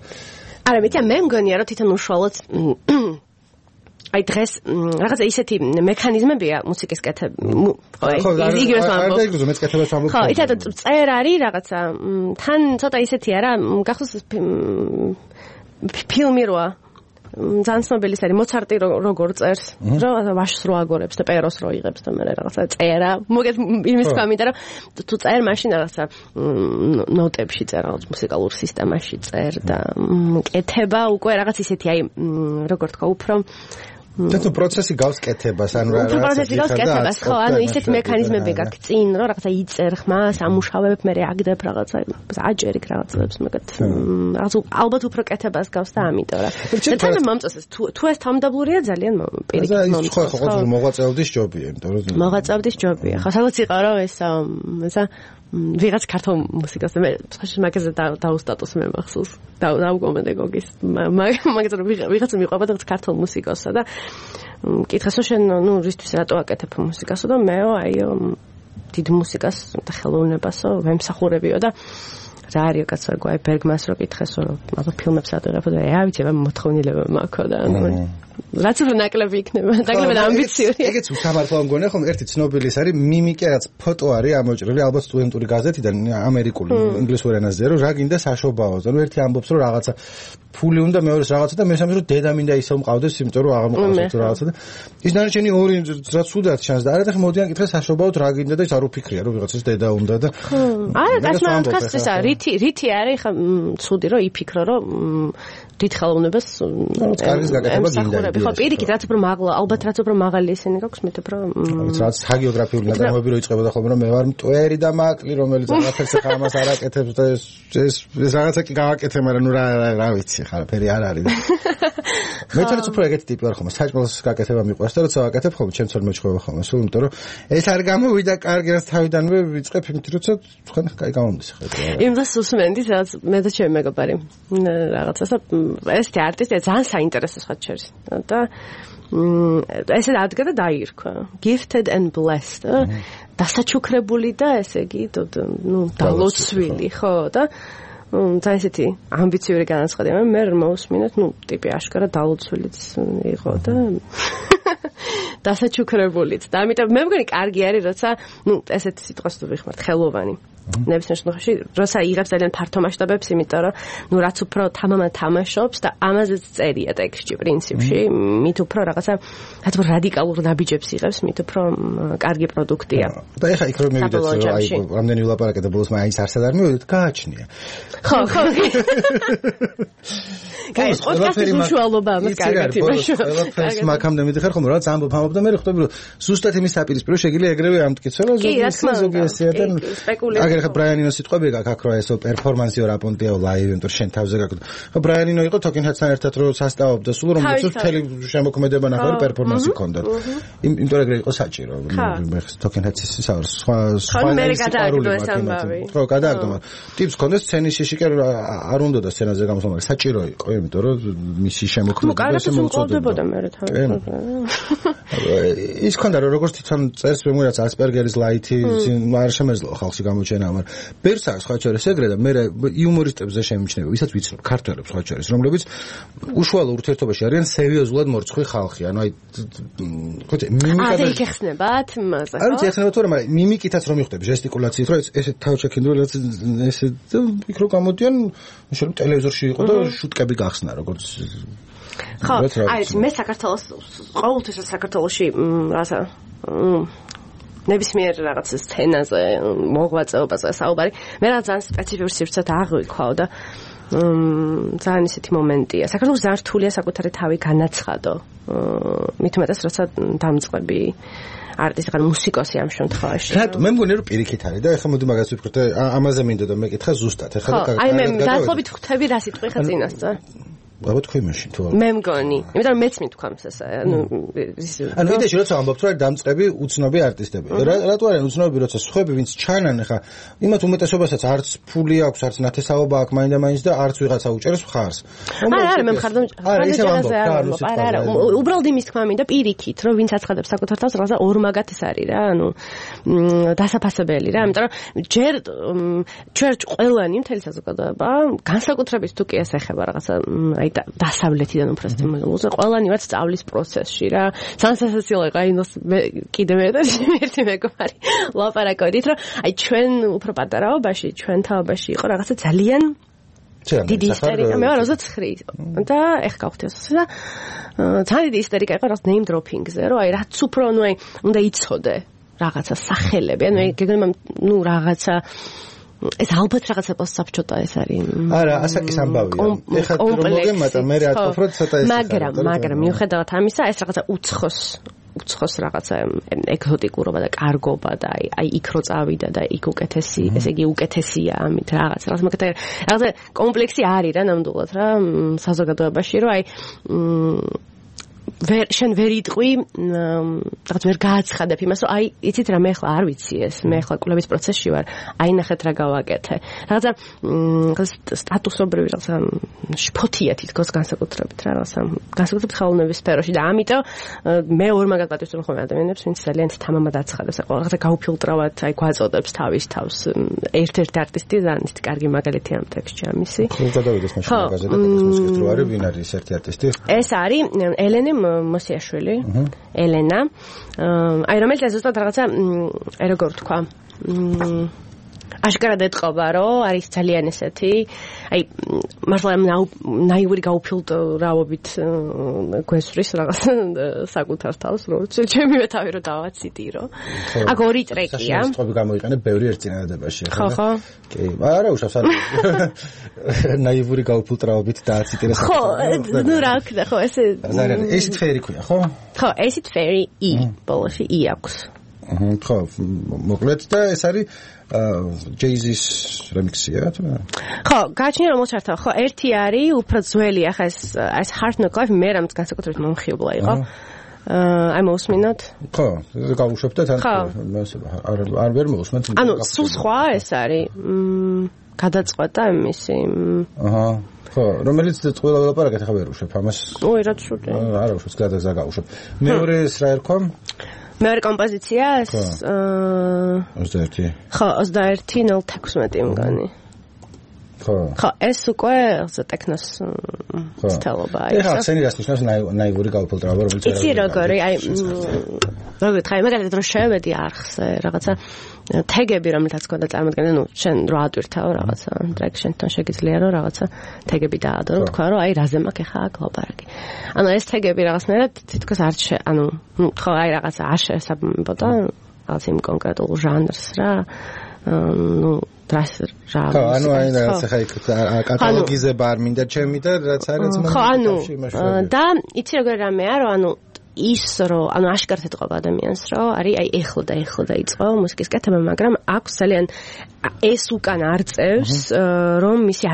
არა, მე მგონია რომ თვითონ უშუალოდ აი დღეს რაღაცა ისეთი მექანიზმებია მუსიკის კეთება. ხო, იგივეს ვამბობ. ხო, იცით წერ არის რაღაცა თან ცოტა ისეთია რა, გახსოვს ფილმი როა ძალიან ცნობილი არის მოცარტი როგორ წერს, რომ ვაშს რო აგორებს და პეროს რო იღებს და მე რაღაცა წერა. მოგეთ იმის თქვა, იმიტომ რომ თუ წერ მაშინ რაღაცა ნოტებში წერ, რაღაც მუსიკალურ სისტემაში წერ და კეთება უკვე რაღაც ისეთი აი როგორ თქვა უფრო და თუ პროცესი გავს კეთებას, ანუ რა პროცესი გავს კეთებას, ხო, ანუ ისეთი მექანიზმები გაქვს წინ, რომ რაღაცა იწერ ხმას, ამუშავებ, მე აგდებ რაღაცა, აჯერიქ რაღაცებს, მაგათ რაღაც ალბათ უფრო კეთებას გავს და ამიტომ რა. და თან მომწონს თუ ეს თამდაბლურია ძალიან პირიქით მომწონს. ხო, ხო, მოღვაწეობდის ჯობია, იმიტომ რომ მოღვაწეობდის ჯობია. ხო, სადაც იყარო ესა ვიღაც ქართულ მუსიკას და მე მაგაზე დაუსტატოს მე მახსოვს. დაუგომენდე გოგის. მაგაზე ვიღაც მიყვება და ქართულ მუსიკოსსა და კითხეს რომ შენ ნუ რისთვის რატო აკეთებ მუსიკასო და მეო აიო დიდ მუსიკას და ხელოვნებასო ვემსახურებიო და რა არის კაცო გვაი ბერგმანს რო კითხეს რომ აბა ფილმებს ატყებო და აი ვიცი მე მოთხოვნილება მაქვს და რაც უფრო ნაკლები იქნება, ნაკლები და ამბიციური. ეგეც უსამართლო მგონია ხომ ერთი ცნობილი ის არის მიმიკე რაც ფოტო არის ამოჭრილი ალბათ სტუდენტური გაზეთიდან ამერიკული ინგლისურ ენაზე რომ რა გინდა საშობაოს. ანუ ერთი ამბობს რომ რაღაცა ფული უნდა მეორეს რაღაცა და მესამე რომ დედა მინდა ისევ მყავდეს იმიტომ რომ აღარ მოყავს რაღაცა და ის დანარჩენი ორი რაც სუდად ჩანს და არადა მოდიან კითხე საშობაოდ რა გინდა და ის არ უფიქრია რომ ვიღაცას დედა უნდა და არა გასმართავს ისა რითი არის ხა ცუდი რომ იფიქრო რომ დიდ ხელოვნებას კარგის გაკეთება გინდა. ხო, პირიქით, რაც უფრო მაღლა, ალბათ რაც უფრო მაღალი ესენი გაქვს, მით უფრო რაც ჰაგიოგრაფიული ნაწარმოები რო იწყებოდა ხოლმე რომ მე ვარ მტვერი და მაკლი რომელიც რაღაცას ახლა ამას არ აკეთებს და ეს რაღაცა კი გავაკეთე, მაგრამ ნუ რა ვიცი, ხა ფერი არ არის. მე თვითონ უფრო ეგეთი ტიპი ვარ ხოლმე, საჭმელს გაკეთება მიყვარს და როცა ვაკეთებ ხოლმე ჩემს ვერ მეჩხება ხოლმე, სულ იმიტომ რომ ეს არ გამოვიდა კარგი რაც თავიდანვე ვიწყებ იმით როცა თქვენ კაი გამომდის ხა. იმას უსმენდი, სადაც მე და ჩემი მეგობარი რაღაცასა ეს არტისტი ძალიან საინტერესო ხაჩერს და ესე ადგა და დაირქვა gifted and blessed დასაჩუქრებული და ესე იგი ნუ დალოცვილი ხო და ძალიან ესეთი ამბიციური განაცხადი მე მოусმინეთ ნუ ტიპი აშკარა დალოცვილიც იყო და დასაჩუქრებულიც და ამიტომ მე მგონი კარგი არის როცა ნუ ესეთი სიტყვას თუ ვიხმართ ხელოვანი ნებისმიერ შემთხვევაში როცა იღებს ძალიან ფართო მასშტაბებს იმიტომ რომ ნუ რაც უფრო თამაშობს და ამაზეც წერია ტექსტში პრინციპში მით უფრო რაღაცა რაც უფრო რადიკალურ ნაბიჯებს იღებს მით უფრო კარგი პროდუქტია და ეხა იქ რომ მივიდეთ რომ აი რამდენი ვილაპარაკეთ და ბოლოს მაინც არსად არ მივიდეთ გააჩნია ხო კაი, პოდკასტის უშუალობა ამას კარგად იმაშო. ყველაფერს მაგამდე მიდიხარ ხომ რაღაც ამბობ და მე ხვდები რომ ზუსტად იმის საპირისპირო შეგიძლია ეგრევე ამტკიცო რომ ზოგი ესეა და აგერ ხა ბრაიანინოს სიტყვები გაქვს აქ რა ესო პერფორმანსიო რაპონტიო ლაივ იმიტომ შენ თავზე გაქვს. ხა ბრაიანინო იყო თოკენჰედთან ერთად რომ სასწაობდა სულ რომ მთელი შემოქმედება ნახევარი პერფორმანსი ჰქონდათ. იმიტომ ეგრე იყო საჭირო. მე თოკენჰედს სხვა მე გადააგდო ეს ამბავი. ხო, გადააგდო. ტიპს ჰქონდეს სცენის შიშიკე არ უნდა და სცენაზე გამოსვლა, მაგრამ საჭირო იყო, იმიტომ რომ მისი შემოქმედება ესე მოწოდებოდა მე თავი. ის ქონდა რომ როგორც თვითონ წერს ვიმურაც ასპერგერის ლაითი არ შემეძლო ხალხში გამოჩენა, მაგრამ ბერს აქვს სხვა შორის ეგრე და მე იუმორისტებზე შემიჩნევა, ვისაც ვიცნობ ქართველებს სხვა შორის, რომლებიც უშუალო ურთიერთობაში არიან სერიოზულად მორცხვი ხალხი, ანუ აი ხოთე მიმიკა და იხსნებათ მასა. არ ვიცი ეხნება თორე, მაგრამ მიმიკითაც რომ მიხვდები ჟესტიკულაციით, რომ ესე თავშექინდული ესე იქ რო გამოდიან, შეიძლება ტელევიზორში იყო და შუტკები გახსნა როგორც ხო, აი მე საქართველოს ყოველთვის საქართველოში რაღაცა ნებისმიერ რაღაც სცენაზე მოღვაწეობაზე საუბარი მე რა ძალიან სპეციფიურ სივრცეთ აღვიქვაო და ძალიან ისეთი მომენტია. საქართველოს ძალიან რთულია საკუთარი თავი განაცხადო. მით უმეტეს როცა დამწყები არტისტი ხარ მუსიკოსი ამ შემთხვევაში. რატო? მე მგონი რომ პირიქით არის და ეხლა მოდი მაგას ვიფიქროთ ამაზე მინდა და მეკითხა ზუსტად. ეხლა და აი მე დაახლოებით ხვდები რა სიტყვი ხა წინასწარ. ალბათ თქვი მაშინ თუ მე მგონი. იმიტომ რომ მეც მithქვამს ესე. ანუ იდეაში როცა ამბობთ რომ დამწყები უცნობი არტისტები. რატო არიან უცნობი როცა სხვები ვინც ჩანან ეხლა იმათ უმეტესობასაც არც ფული აქვს, არც ნათესაობა აქვს მაინდა-მაინც და არც ვიღაცა უჭერს მხარს. არა მე მხარდამ არა უბრალოდ იმის თქმა მინდა პირიქით რომ ვინც აცხადებს საკუთარ თავს რაღაცა ორმაგათის არის რა ანუ დასაფასებელი რა იმიტომ რომ ჯერ ჩვენ ყველანი მთელი საზოგადოება განსაკუთრებით თუ კი ეს ეხება რაღაცა აი დასავლეთიდან უფრო სტიმულს ყველანი ვართ სწავლის პროცესში რა სანსაციო იყო აი კიდევ ერთი მეგობარი ლაპარაკობდით რომ აი ჩვენ უფრო პატარაობაში ჩვენ თავობაში იყო რაღაცა ძალიან დიდი ისტერიკა მე ვარ 29 და ეხ გავხდიოს და ძალიან დიდი ისტერიკა იყო რაღაც name dropping-ზე რომ აი რაც უფრო ნუ აი უნდა იცოდე რაღაცა სახელები ანუ გეგმება ნუ რაღაცა ეს ალბათ რაღაცა პოსტსაბჭოთა ეს არის არა ასაკის ამბავია ეხლა რომ მოგემატა მე ატყობ ცოტა ეს მაგრამ მიუხედავად ამისა ეს რაღაცა უცხოს რაღაცა ეგზოტიკურობა და კარგობა და აი იქ რო წავიდა და იქ უკეთესი ესე იგი უკეთესია ამით რაღაცა კომპლექსი არის რა ნამდვილად რა საზოგადოებაში რომ აი შენ ვერ იტყვი რაღაც ვერ გააცხადებ იმას რომ აი იცით რა მე ახლა არ ვიცი ეს მე ახლა კვლევის პროცესში ვარ აი ნახეთ რა გავაკეთე რაღაცა სტატუსობრივი რაღაცა შფოთია თითქოს განსაკუთრებით რა რაღაცა განსაკუთრებით ხელოვნების სფეროში და ამიტომ მე ორმაგად პატივს ხომ ადამიანებს ვინც ძალიან თამამად აცხადებს რაღაცა გაუფილტრავად აი გვაწოდებს თავის თავს ერთ-ერთი არტისტი ძალიან ისეთი კარგი მაგალითია ამ ტექსტში ამისი გადავიდეს მაშინ მაგაზე და მუსიკით რო არის ვინ არის ერთი არტისტი ეს არის ელენე მოსიაშვილი ელენა აი რომელიც ზუსტად რაღაცა როგორ თქვა აშკარად ეთყობა რომ არის ძალიან ესეთი აი მართლა ნაიური გაუფილტრავობით გვესვრის რაღაც საკუთარ თავს რომ ჩემივე თავი რომ დავაციტირო აქ ორი ტრეკია ეს გამოიყენებ ბევრი ერთ წინადადებაში ხო კი არა უშავს არ ნაიური გაუფილტრავობით დააციტირე ხო ნუ რა ვქნა ხო ესე ეს თვერი ქვია ხო ხო ეს თვერი ი ბოლოში ი აქვს ხო მოკლედ და ეს არის Jay-Z-ის რემიქსია თუ ხო გაჩნია რომ მოჩართავ ხო ერთი არის უფრო ძველი ახლა ეს Hard Knock Life მე რამც განსაკუთრებით მომხიბლა იყო აი მოусმინოთ ხო გავუშვებ და თან არ ვერ მოусმენთ ანუ სულ სხვა ეს არის გადაწყვეტა მისი აჰა ხო რომელიც ყველა ვლაპარაკეთ ახლა ვერ უშვებ ამას ой რა ცუდი არა უშვებ გადაგაუშვებ მეორე ეს რა ერქვა მეორე კომპოზიცია 21 ხო 21:16 მგონი ხო ეს უკვე ტექნოს სტილობაა ეხლა სცენი რას ნიშნავს ნაიური გაუფილტრავება რომელიც იცი როგორი აი როგორ ხაი მაგალითად რომ შევედი არხზე რაღაცა თეგები რომელთაც გქონდა წარმოადგენდა ნუ შენ რო ატვირთავ რაღაცა ტრეკ შენთან შეგიძლია რომ რაღაცა თეგები დაადო რომ თქვა რომ აი რაზე მაქვს ხა აქ ლაპარაკი ანუ ეს თეგები რაღაცნაირად თითქოს არ ანუ ნუ თქვა აი რაღაცა არ შეესაბამებოდა რაღაც იმ კონკრეტულ ჟანრს რა ნუ რა ხო ანუ აი ხა კატალოგიზება არ მინდა ჩემი და რაც არის ხო ანუ და იცი როგორ რამეა რომ ანუ ის რომ ანუ აშკარად ეთყობა ადამიანს რომ არის აი ეხლა დაიწყო მუსიკის კეთება მაგრამ აქვს ძალიან ეს უკან არწევს რომ მისი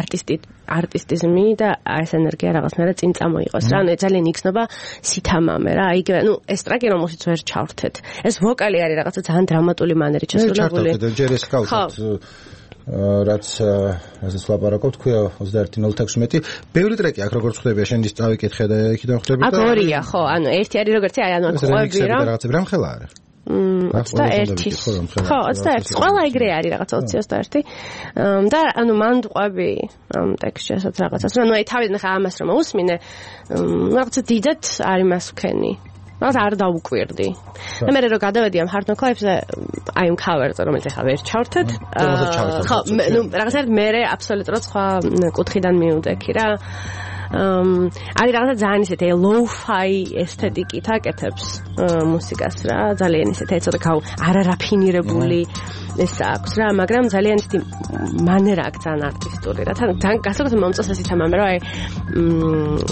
არტისტიზმი და ეს ენერგია რაღაცნაირად წინ წამოიყოს რა ანუ ძალიან იგრძნობა სითამამე რა იგივე ნუ ეს ტრეკი რომელშიც ვერ ჩავრთეთ ეს ვოკალი არის რაღაცა ძალიან დრამატული მანერით შესრულებული ჯერ ეს გავუწევთ რაც ლაპარაკობ თქვია 21:06 ბევრი ტრეკი აქ როგორც ხვდები შენ ის წავიკითხე და იქიდან ხვდები და აქ ორია ხო ანუ ერთი არის როგორც აი ანუ ყვები რა რაღაცები რამ ხელა არის 21 ხო 21 ყველა ეგრე არის რაღაცა 20-21 და ანუ მან ყვები ამ ტექსტშიასაც რაღაცას ანუ აი თავიდან ხა ამას რომ უსმინე რაღაცა დიდად არის მას ვქენი რაღაც არ დაუკვირდი. და მე რომ გადავედი ამ hard knock-ებზე, აი ამ cover-ზე, რომელიც ახლა ვერ ჩავრთეთ. ხო, ნუ რაღაცა მე აბსოლუტურად სხვა კუთხიდან მივდექი რა. არის რაღაცა ძალიან ისეთი low-fi ესთეტიკით აკეთებს მუსიკას რა, ძალიან ისეთი ცოტა არარაფინირებული ეს აქვს რა, მაგრამ ძალიან ისეთი მანერა აქვს ძალიან არტისტული რა. თან გასაგებად მომწონს ეს თემა, მე რა აი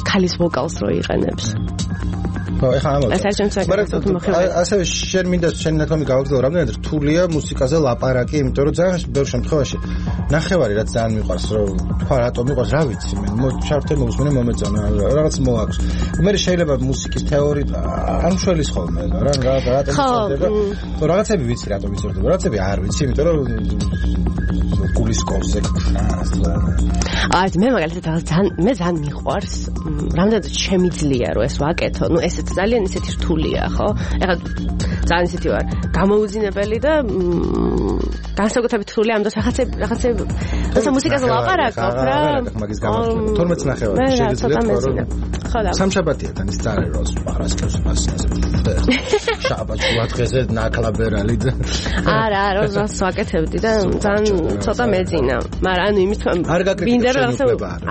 ქალის ვოკალს რო იყენებს. ხო, ეხლა ასევე შენ მინდა შენ ნათქვამი გავაგზავნო, რამდენად რთულია მუსიკაზე ლაპარაკი, იმიტომ რომ ძალიან ბევრ შემთხვევაში ნახევარი რაც ძალიან მიყვარს, რომ თქვა რატომ მიყვარს, რა ვიცი მე, ჩართე მოусმენე მომეწონა, რაღაც მოაქვს. მე შეიძლება მუსიკის თეორიით არ მშველის ხოლმე რა, რატომ იცოდება? ხო, რაღაცები ვიცი რატომ იცოდება, რაღაცები არ ვიცი, იმიტომ რომ გულისკოვზე აი მე მაგალითად მე ძალიან მიყვარს, რამდენად შემიძლია რომ ეს ვაკეთო, ნუ ეს ძალიან ისეთი რთულია, ხო? ეხლა ძალიან ისეთი ვარ, გამოუძინებელი და განსაკუთრებით რთული ამ დროს რაღაცა მუსიკაზე ლაპარაკობ რა. მაგის გამართლება 12 ნახევარი შეიძლება ხო და სამშაბათია თან ის წარე როს პარასკევს მასაზე. შაბათი ვათხეზე ნაკლაბერალი და არა როს ვაკეთებდი და ძალიან ცოტა მეძინა. მაგრამ ანუ იმის თქმა მინდა რომ რაღაცა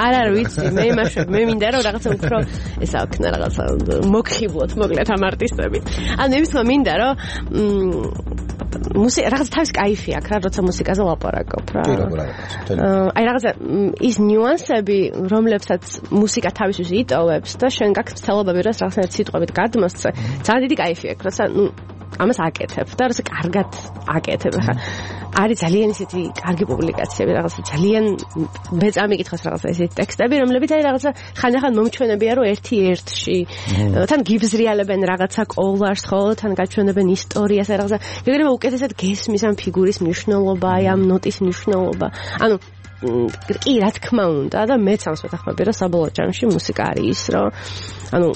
არა ვიცი მე იმაში მე მინდა რომ რაღაცა უფრო ესა ვქნა რაღაცა მოგხიბლოთ მოკლედ ამ არტისტები. ანუ იმის თქმა მინდა რომ რაღაც თავის кайფი აქვს რა როცა მუსიკაზე ლაპარაკობ რა. აი რაღაცა ის ნიუანსები რომლებსაც მუსიკა თავისთვის იტოვებს და შენ გაქვს ცდილობები რომ რაღაცნაირად სიტყვებით გადმოსცე ძალიან დიდი кайფი აქვს როცა ნუ ამას აკეთებ და როცა კარგად აკეთებ ხა არის ძალიან ისეთი კარგი პუბლიკაციები რაღაცა ძალიან მე წამიკითხოს რაღაცა ესეთი ტექსტები რომლებიც არის რაღაცა ხანდახან მომჩვენებია რომ ერთი-ერთში თან გიბზრიალებენ რაღაცა კოლარს ხო თან გაჩვენებენ ისტორიას რაღაცა ეგრევე უკეთესად გესმის ამ ფიგურის მნიშვნელობა აი ამ ნოტის მნიშვნელობა ანუ კი რა თქმა უნდა და მეც ამას ვეთანხმები რომ საბოლოო ჯამში მუსიკა არის ის რომ ანუ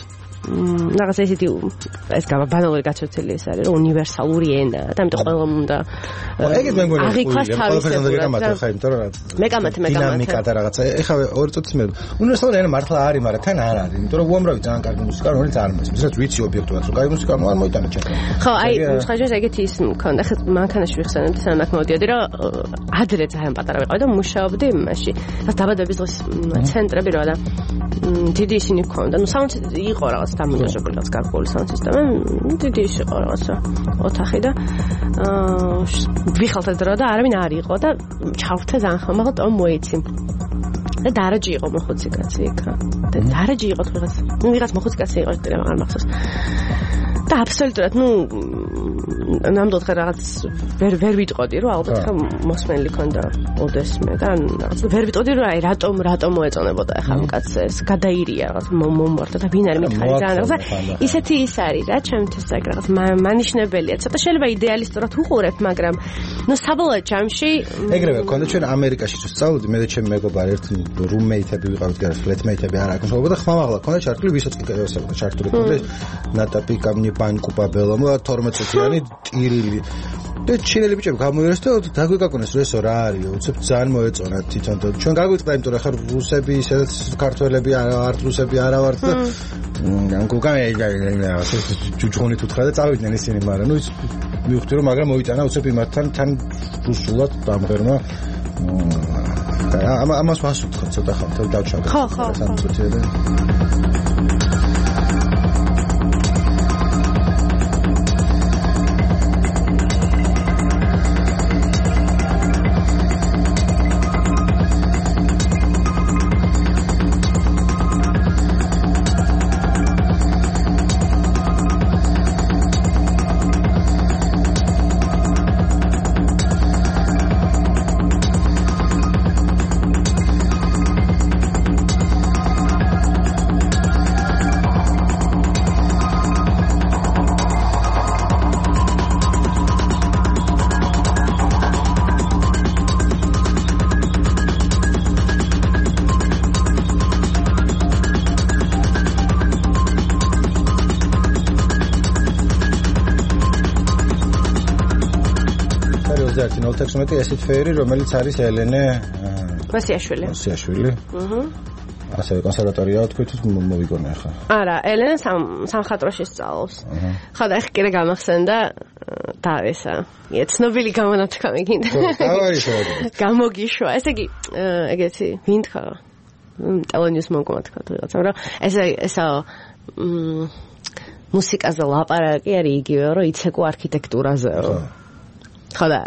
რაღაცა ესეთი ეს ბანალური გაცოცილი ეს არის რომ უნივერსალური ენა და ამიტომ ყველამ უნდა ეგეთ მე მგონი აღიქვას მე კამათე დინამიკა და რაღაცა ეხლა ორი წუთის მე უნივერსალური ენა მართლა არის მაგრამ თან არ არის იმიტომ რომ უამრავი ძალიან კარგი მუსიკა რომელიც არ მესმის რაც ვიცი ობიექტურად რომ კარგი მუსიკა არ მოიტანა ჩემს ხო აი ხაჟეს ეგეთი ის მქონდა ხა მანქანაში ვიხსენებდი სანამ აქ მოვიდიოდი რომ ადრე ძალიან პატარა ვიყავი და მუშაობდი იმაში რა დაბადების დღის ცენტრები რა და დიდი ისინი მქონდა ნუ საუნდ იყო რაღაც დამონტაჟებული რაღაც გარკვეული საუნდ სისტემა დიდი ის იყო რაღაცა ოთახი და ვიხალთ დრო და არავინ არ იყო და ჩავრთე ძალიან ხომ მაგრამ ტომ მოიცი და დარაჯი იყო მოხუცი კაცი იქა და დარაჯი იყო ვიღაც მოხუცი კაცი იყო და არ მახსოვს და აბსოლუტურად ნუ ნამდვილად რაღაც ვერ ვიტყოდი რომ ალბათ ხა მოსმენელი ქონდა ოდესმე და რაღაც ვერ ვიტყოდი რომ აი რატომ მოეწონებოდა ახლა ამ კაცს ეს გადაირია რაღაც მომმართა და ვინ არის მითხარი ძალიან რაღაცა ისეთი ის არის რა ჩემთვის ეგ რაღაც მანიშნებელია ცოტა შეიძლება იდეალისტურად უყურებ მაგრამ ნუ საბოლოო ჯამში ეგრევე ქონდა ჩვენ ამერიკაში თუ სწავლობდი მე და ჩემი მეგობარი ერთ რუმეითები ვიყავით გარს ფლეტმეითები არ აკონსოლობდა ხმამაღლა ქონდა ჩარტული ვისაც კი ესწავლა ჩარტული ქონდა ნატაპი კამნი ბანკუ პაბელომა 12 წუთიანი ტირილი და ჩინელი ბიჭები გამოიერეს და დაგვიგაკონეს რომ ესო რა არის უცებ ძალიან მოეწონა თვითონ და ჩვენ გაგვიწყდა იმიტომ რომ ხარ რუსები ისედაც ქართველები არ რუსები არა ვართ და გუგანა ჯუჯუნით უთხრა და წავიდნენ ისინი მაგრამ ნუ ის მივხვდი რომ მაგრამ მოიტანა უცებ იმათთან თან რუსულად დამღერმა ამას ვასუთხო ცოტა ხანთ დავჩაგე ხო 016 ესეთ ფერი, რომელიც არის ელენე მოსიაშვილი. ასევე კონსერვატორია თქვით მოვიგონა ხა. არა, ელენე სამხატვროში სწავლობს. ხა და ეხ კიდე გამახსენდა და ესა ცნობილი გამონათქვამი გინდა. გამოგიშვა. ესე იგი, ეგეთი ვინ თქვა? ტელენიუს მოგმა თქვა რაღაცა, მაგრამ ესა მუსიკაზე ლაპარაკი არის იგივე, რომ იცეკო არქიტექტურაზეო. ხო და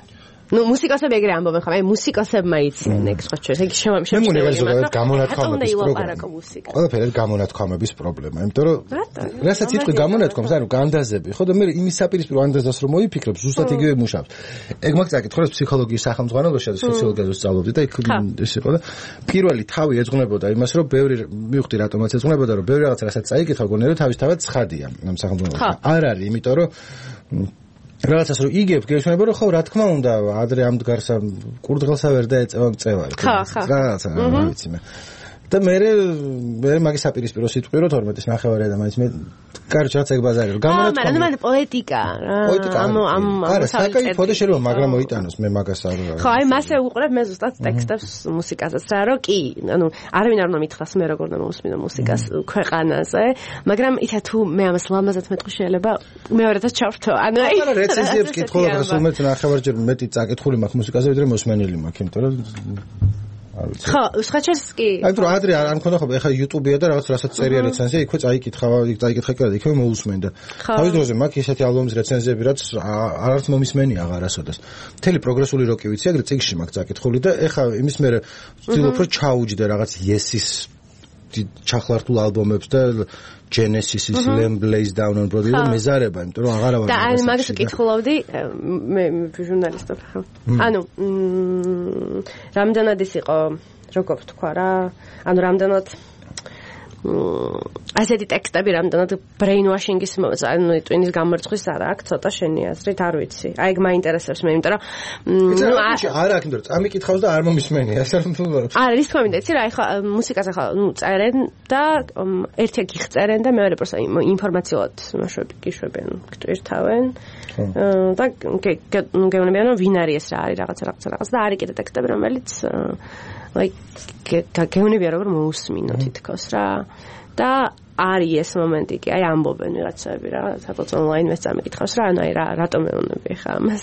ну მუსიკოსები ეგრე ამბობენ ხომ აი მუსიკოსებმა იციან ეგ სხვა ჩვენ ეგ შემოგვიყვება ზოგადად გამონათქვამების პრობლემა ყველაფერი გამონათქვამების პრობლემა იმიტომ რომ რასაც იტყვი გამონათქვამს ანუ განდაზები ხო და მე იმის საპირისპირო ანდაზას რომ მოიფიქრებ ზუსტად იგივე მუშავს ეგ მაგ წაკითხავს ფსიქოლოგიის სახელმძღვანელოში და სოციოლოგიაზე სწავლობდი და იქ ეს იყო და პირველი თავი ეძღვნებოდა იმას რომ ბევრი მივხვდი რატომაც ეძღვნებოდა რომ ბევრი რაღაცა რასაც წაიკითხა გონია რომ თავისთავად ცხადია ამ სახელმძღვანელოში არ არის იმიტომ რომ რაღაცას რომ იგებ გეშმება რომ ხო რა თქმა უნდა ადრე ამდგარსა კურდღელსა ვერ დაეწევა მწევარი რაღაცა ვიცი მე და მე მაგის საპირისპირო სიტყვი რომ 12-ის ნახევარია და მაინც მე კარგი რაც ეგ ბაზარი რომ გამონათქვამი მაგრამ პოეტიკა არა საკაიფო და შეიძლება მაგრამ მოიტანოს მე მაგას არ ხო აი მასე უყურებ მე ზუსტად ტექსტებს მუსიკასაც რა რომ კი ანუ არავინ არ უნდა მითხრას მე როგორ უნდა მოვუსმინო მუსიკას ქვეყანაზე მაგრამ ისა თუ მე ამას ლამაზად მეტყვი შეიძლება მეორედაც ჩავრთო ანუ აი რეცენზიებს კითხულობ რომ სულმეც ნახევარჯერ მეტი წაკითხული მაქვს მუსიკაზე ვიდრე მოსმენელი მაქვს იმიტომ რომ ხო, სხვაჩას კი. აი თუ ადრე არ მქონდა ხო, ეხლა YouTube-ია და რაღაც რასაც წერია რეცენზია, იქვე წაიკითხა კი და იქვე მოусმენდა. თავის დროზე მაქვს ისეთი ალბომის რეცენზიები, რაც არც მომისმენი აღარასოდეს. მთელი პროგრესული როკი ვიცი, ეგრე წიგნში მაქვს წაკითხული და ეხლა იმის მერე ვცდილობ რომ ჩაუჯდე რაღაც Yes-ის ჩახლართულ ალბომებს და Genesis-ის Lamb Lays Down on Broadway და მეზარება, იმიტომ რომ აღარა ვარ. და აი მაგას ვკითხულობდი მე ჟურნალისტობ ხარ. ანუ რამდენად ის იყო, როგორ თქვა რა, ანუ რამდენად ასეთი ტექსტები რამდენად brainwashing-ის ანუ ტვინის გამორიცხვის არა აქვს ცოტა შენი აზრით არ ვიცი. აი ეგ მაინტერესებს მე, იმიტომ რომ არა აქ იმიტომ რომ წამიკითხავს და არ მომისმენია. არა, ის თქვა მინდა, იცი რა, ეხლა მუსიკას ახლა წერენ და ერთი გიხწერენ და მეორე პროსა ინფორმაციულად გიშვებენ, გტვირთავენ. და გეუბნებიან რომ ვინ არის ეს რა არის რაღაც და არის კიდე ტექსტები რომელიც გეუბნებიან რომ მოусმინო თითქოს რა და არის ეს მომენტი კი აი ამბობენ ვიღაცები რა სადაც ონლაინ მეც წამიკითხავს რა ანუ აი რატომ მეუბნები ხა ამას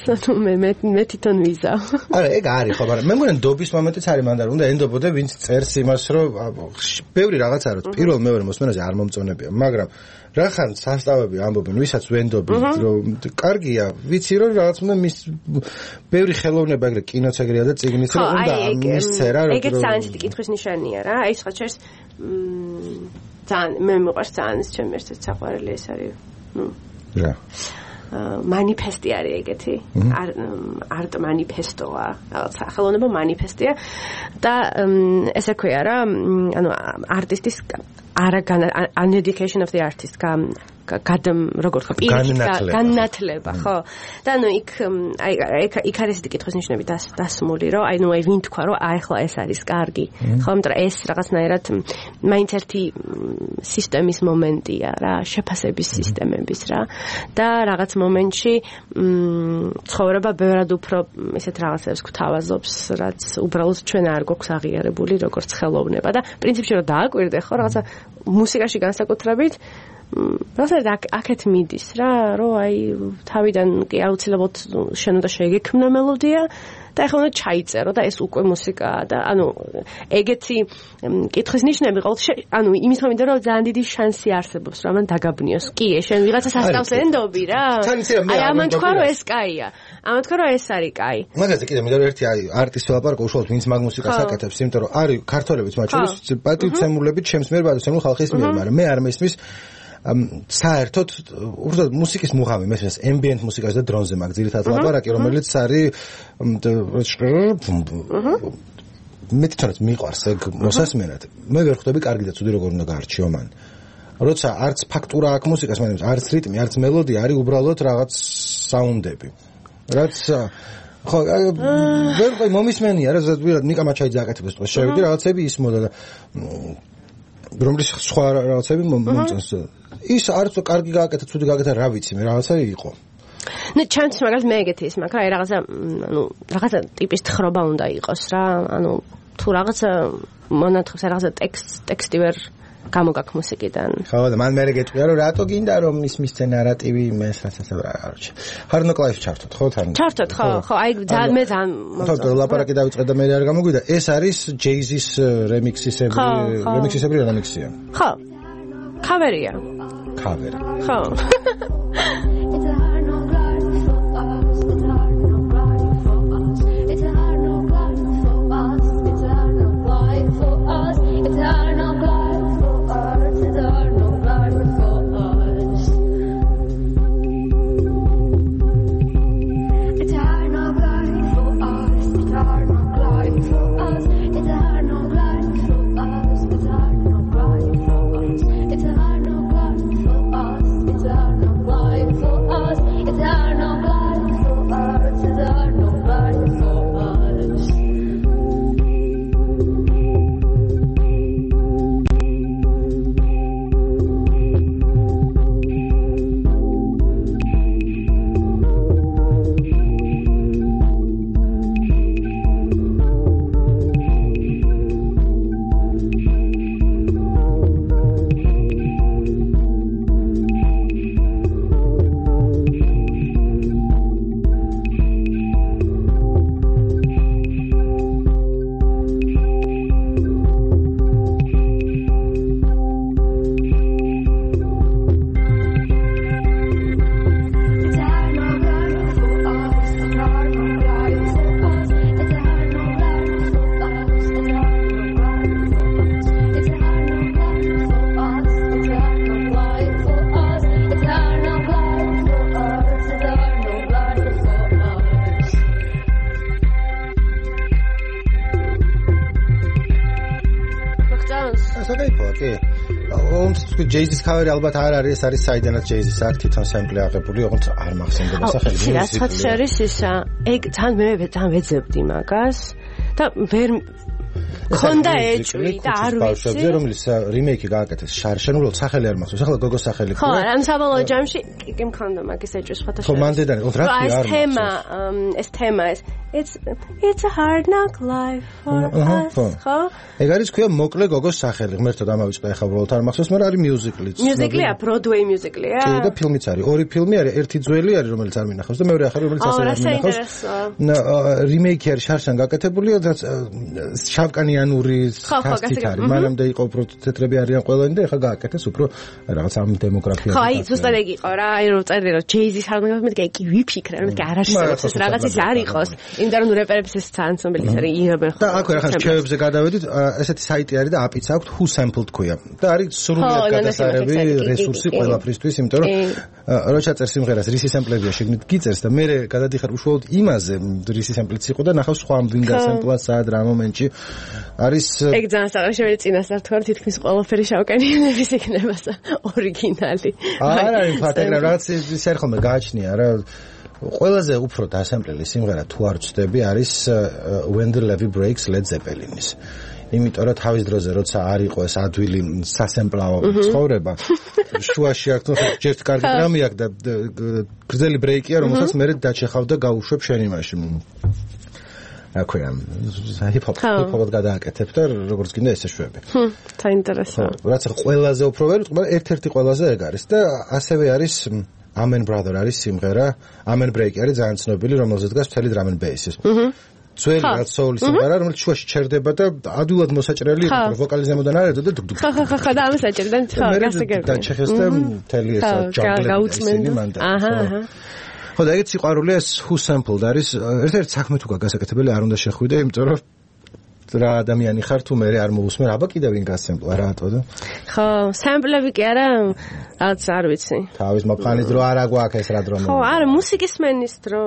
მე თვითონ ვიზავ არა ეგ არის ხო მაგრამ მე მგონი ნდობის მომენტიც არის მანდ უნდა ენდობოდე ვინც წერს იმას რომ ბევრი რაღაცა რომ პირველ მეორე მოსმენაზე არ მომწონებია მაგრამ რახან სასწავები ამბობენ ვისაც ვენდობი რომ კარგია ვიცი რომ რაღაც უნდა მის ბევრი ხელოვნება ეგრე კინოც ეგრეა და წიგნიც რომ უნდა მისწერა რომ ეგეც საინსტიტუტი კითხვის ნიშანია რა აი სხვა ჩერს ძალიან მე მიყვარს ძალიან ის ჩემი ერთ-ერთი საყვარელი ეს არის რა манифести არის ეგეთი არტ манифестოა რაღაცა ხელოვნება манифестია და ესე ქვია რა ანუ არტისტის an education of the artist როგორ თქვა განათლება ხო და ანუ იქ იქ არის ესეთი კითხვის ნიშნები დასმული რომ აი ნუ აი ვინ თქვა რომ აი ახლა ეს არის კარგი ხო იმიტომ რომ ეს რაღაცნაირად მაინც ერთი სისტემის მომენტია რა შეფასების სისტემების რა და რაღაც მომენტში ცხოვრება ბევრად უფრო ისეთ რაღაცებს გვთავაზობს რაც უბრალოდ ჩვენ არ გვაქვს აღიარებული როგორც ხელოვნება და პრინციპში რომ დააკვირდე ხო რაღაცა მუსიკაში განსაკუთრებით რაღაცა აქეთ მიდის რა რომ აი თავიდან კი აუცილებლად შენ უნდა შეგექმნო მელოდია და ახლა უნდა ჩაიწერო და ეს უკვე მუსიკაა და ანუ ეგეთი კითხვის ნიშნები ყოველთვის ანუ იმის მომენტი რომ ძალიან დიდი შანსი არსებობს რომ ამან დაგაბნიოს კი შენ ვიღაცა სასწავს ენდობი რა აი ამან თქვა რომ ეს კაია ამან თქვა რომ ეს არის კაი მაგაზე კიდე მე ერთი აი არტისტი ვლაპარაკობ უშუალოდ ვინც მაგ მუსიკას აკეთებს იმიტომ რომ არის ქართველებიც მათ შორის პატივცემულები ჩემს მიერ პატივცემულ ხალხის მიერ მაგრამ მე არ მესმის საერთოდ უბრალოდ მუსიკის მუღამი მესმის ambient მუსიკას და დრონზე მაგ ძირითადად ლაპარაკი რომელიც არის მე თვითონაც მიყვარს ეგ მოსასმენად მე ვერ ხვდები კარგი და ცუდი როგორ უნდა გაარჩიო მან როცა არც ფაქტურა აქვს მუსიკას მაგრამ არც რიტმი არც მელოდია არის უბრალოდ რაღაც საუნდები რაც ხო ვერ ყი მომისმენია რა ზედვირად ნიკა მაჩაიძე აკეთებს თქო შევიდი რაღაცები ისმოდა და რომლის სხვა რაღაცები მომწონს ის არც კარგი გააკეთა ცუდი გააკეთა რა ვიცი მე რაღაცა იყო ნუ ჩემთვის მაგალითად მე ეგეთი ის მაქვს რა, აი რაღაცა ტიპის თხრობა უნდა იყოს რა, ანუ თუ რაღაცა მონათხებს რაღაცა ტექსტი ვერ გამოგაქვს მუსიკიდან. ხო, და მან მე გეტყვია რომ რატო გინდა რომ მის ნარატივი მე საერთოდ ჰარნო კლაიფს ჩართოთ, ხო თან? ჩართოთ, ხო, აი ძალიან მე ძალიან ხო, ლაპარაკი დავიწყე და მე არ გამოგვიდა. ეს არის ჯეიზის რემიქსისებრი რემიქსია. ხო. ქავერია. ქავერი. ხო. ჯეიზის ქავერი ალბათ არ არის, ეს არის საიდანაც ჯეიზის აქ თვითონ სემპლი აღებული, ოღონდ არ მახსენდება სახელი. რაც არის ისა, ეგ თან მე თან ვეძებდი მაგას და ვერ ქონდა ეჭვი და არ ვიცი. რომლის რიმეიკი გააკეთეს შარშენულოდ სახელი არ მახსოვს. ახლა გოგოს სახელი ხო, ამ საბოლოო ჯამში კი მქონდა მაგის ეჭვი სხვათა შორის. ხო, მანდედანი, რა თქმა უნდა. ეს თემა it's a hard knock life for us. ხო? ეგ არის ქვია მოკლე გოგოს სახელი. ღმერთოდ ამავიწყდა ახლა უბრალოდ არ მახსოვს, მაგრამ არის მიუზიკლიც. მიუზიკლია, ბროდვეი მიუზიკლია. კი, და ფილმიც არის. ორი ფილმი არის, ერთი ძველი არის, რომელიც არ მინახავს და მეორე ახალი, რომელიც ასე არ მინახავს. რიმეიკი არის შარშან გაკეთებული, რაც შავკანიანური კასტით არის. მანამდე იყო უფრო თეთრები არიან ყველანი და ახლა გააკეთეს უფრო რაღაც ამ დემოგრაფიას. ხო, აი ზუსტად ეგ იყო რა, აი რომ წერდი რომ ჯეიზის ჰარმონია მე კი ვიფიქრე, რომ კი არ არსებობს ეს რაღაცის არ იყოს. იმიტომ რომ რეპერების ეს ძალიან ცნობილი არის იღებენ. და აქვე ახლა რჩევებზე გადავედით, ესეთი საიტი არის და აპიც აქვს Who Sampled ქვია. და არის სრულიად გადასარევი რესურსი ყველაფრისთვის, იმიტომ რომ რო ჩაწერს სიმღერას რისი სემპლებია შეგნით გიწერს და მე გადადიხარ უშუალოდ იმაზე რისი სემპლიც იყო და ნახავს სხვა ვინ გასემპლა სად რა მომენტში არის ეგ ძალიან საერთოდ შეიძლება წინასწარ თქვა თითქმის ყველაფერი შავკანიანების იქნება ორიგინალი. არ არის ფაქტია რაღაც ის არ ხოლმე გააჩნია რა ყველაზე უფრო დასემპლელი სიმღერა თუ არ ვწდები არის When the Levee Breaks Led Zeppelin-ის. იმიტომ რომ თავის დროზე როცა არ იყო ეს ადვილი სასემპლაო ცხოვრება შუაში აქ ჯერ კარგი დრამი აქვს და გრძელი ბრეიკია რომელსაც მე დაჩეხავ და გავუშვებ შენ იმაში აქვეა ჰიპ-ჰოპად გადააკეთებ და როგორც გინდა ესე შვები. საინტერესო. რაც ყველაზე უფრო ვერ ვიტყვი, მაგრამ ერთ-ერთი ყველაზე ეგ არის და ასევე არის Amen Brother არის სიმღერა, Amen Break არის ძალიან ცნობილი, რომელზეც დგას მთელი drum and bass-ის. ძველი რაც soul-ის სიმღერა, რომელიც შუაში ჩერდება და ადვილად მოსაჭრელი იყო, ვოკალის ზემოდან არ ეძო და დუგ-დუგ. ხა და ამას აჭერდა, ხო, გასაგებია. და ჩეხეს და მთელი ეს ჯანგლები მან და. ხო და ეგეც სიყვარული ეს Who Sampled არის ერთ-ერთი საქმე თუ გასაკეთებელი არ უნდა შეხვიდე, იმიტომ რომ რა ადამიანი ხარ თუ მე არ მოусმენ, აბა კიდევ ვინ გასემპლა რატო და ხო, სემპლები კი არა, რაც არ ვიცი. თავის მოფხანის დრო არა გვაქვს ეს რა დრო. ხო, არა, მუსიკის მენის დრო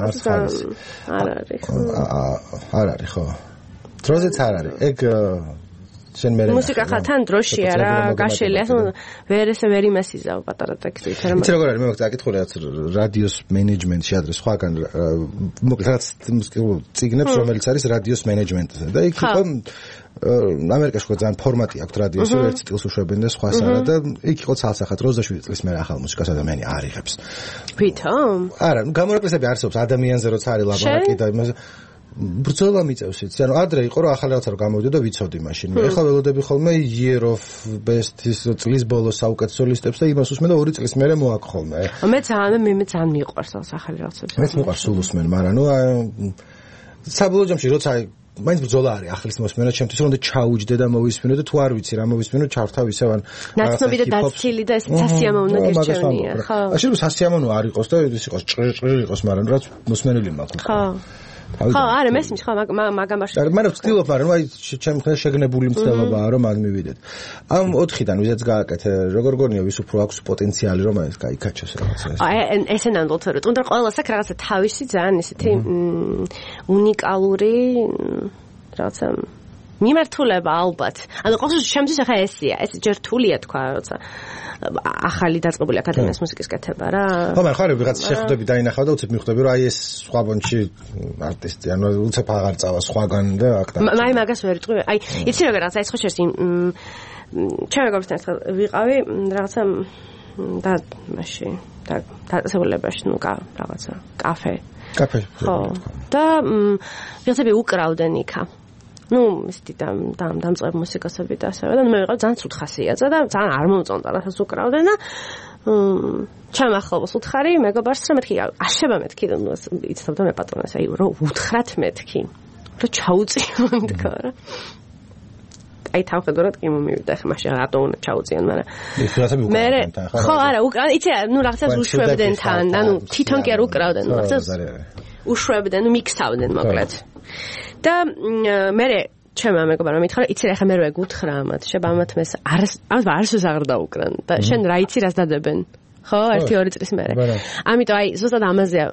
არ არის. არ არის, ხო. არ არის, ხო. დროზეც არ არის. ეგ შენ მე მუსიკა ხა თან დროშია რა გაშელი ასე ვერ იმასიზავ პატარა ტექსტი თერმა იცი როგორ არის მე მოგწაკითხული რაც რადიოს მენეჯმენტში ადრე სხვაგან მოკლედ რაც ციგნებს რომელიც არის რადიოს მენეჯმენტზე და იქ იყო ამერიკაში ხო ძალიან ფორმატი აქვს რადიოს ერთ სტილს უშვებენ და სხვა სარა და იქ იყო ცალსახად 27 წლის მერე ახალ მუსიკას ადამიანი არ იღებს ვითომ არა გამორაკლისები არსებობს ადამიანზე როცა არის ლაბორატორია და იმაზე ბრძოლა მიწევს იცი ანუ ადრე იყო რომ ახალი რაღაცა რომ გამოვიდა და ვიცოდი მაშინ ეხლა ველოდები ხოლმე year of best წლის ბოლოს საუკეთესო ლისტებს და იმას უსმენ და 2 წლის მერე მოაქვს ხოლმე მე ძალიან მიყვარს ახალი რაღაცები მეც მიყვარს სულ უსმენ მაგრამ ნუ საბოლოო ჯამში როცა მაინც ბრძოლა არის ახლის მოსმენა ჩემთვის რომ ჩაუჯდე და მოვისმინო და თუ არ ვიცი რა მოვისმინო ჩავთავ ისევ ან ნაცნობი და დაცილი და ეს სასიამოვნო გერჩევნია ხო ასე რომ სასიამოვნო არ იყოს და ის იყოს ჭრიჭრი იყოს მაგრამ რაც მოსმენელი მაქვს ხო ხო არა მესმის ხო მაგამაში მაგრამ ვცდილობ მაგრამ აი ჩემ ხელ შეგნებული მცდელობაა რომ არ მივიდეთ ამ 4-დან ვიდაც გააკეთე როგორ გონია ვის უფრო აქვს პოტენციალი რომ ეს გაიქაჩოს რაღაცა აი ესე ნამდვილად რომ თუნდაც ყველას აქვს რაღაცა თავისი ძალიან ისეთი უნიკალური რაღაცა მიმართულება ალბათ ანუ ყოველთვის შემდის ახლა ესია ეს ჯერ რთულია თქვა როცა ახალი დაწყებული აკადემიის მუსიკის კეთება რა ხო მაგრამ ხარ ვიღაც შეხვდები დაინახავ და უცებ მიხვდები რომ აი ეს სხვა ბონჩი არტისტი ანუ უცებ აღარ წავა სხვაგან და აქ და მაი მაგას ვერ იტყვი აი იცი რა რაღაცა ეს ხო შერს ჩემ მეგობრებთან ერთხელ ვიყავი რაღაცა და მაშინ და დაწესებულებაში ნუ რაღაცა კაფე ხო და ვიღაცები უკრავდნენ იქა ну, ისეთი დამწყებ მუსიკოსები და ასევე და მე ვიყავ ძალიან ცუდ ხასიათზე და ძალიან არ მომწონდა რასაც უკრავდნენ და ჩემ ახლოს უთხარი მეგობარს რომ მეთქი აშება მეთქი და იცნობდა მე პატრონას აი რომ უთხრათ მეთქი რომ ჩაუწიონ თქო რა აი თავხედურად კი მომივიდა ხა მაშინ რატო უნდა ჩაუწიონ მაგრამ მე ხო არა იცი ნუ რაღაცას უშვებდნენ თან ანუ თვითონ კი არ უკრავდნენ ნუ რაღაცას უშვებდნენ ნუ მიქსავდნენ მოკლედ და მე ჩემმა მეგობარმა მითხრა იცი რა ხა მე რო ეგ უთხრა ამათ შება ამათ მეს არასოდეს აღარ დაუკრან და შენ რა იცი რას დადებენ ხო 1-2 წლის მერე ამიტომ აი ზუსტად ამაზეა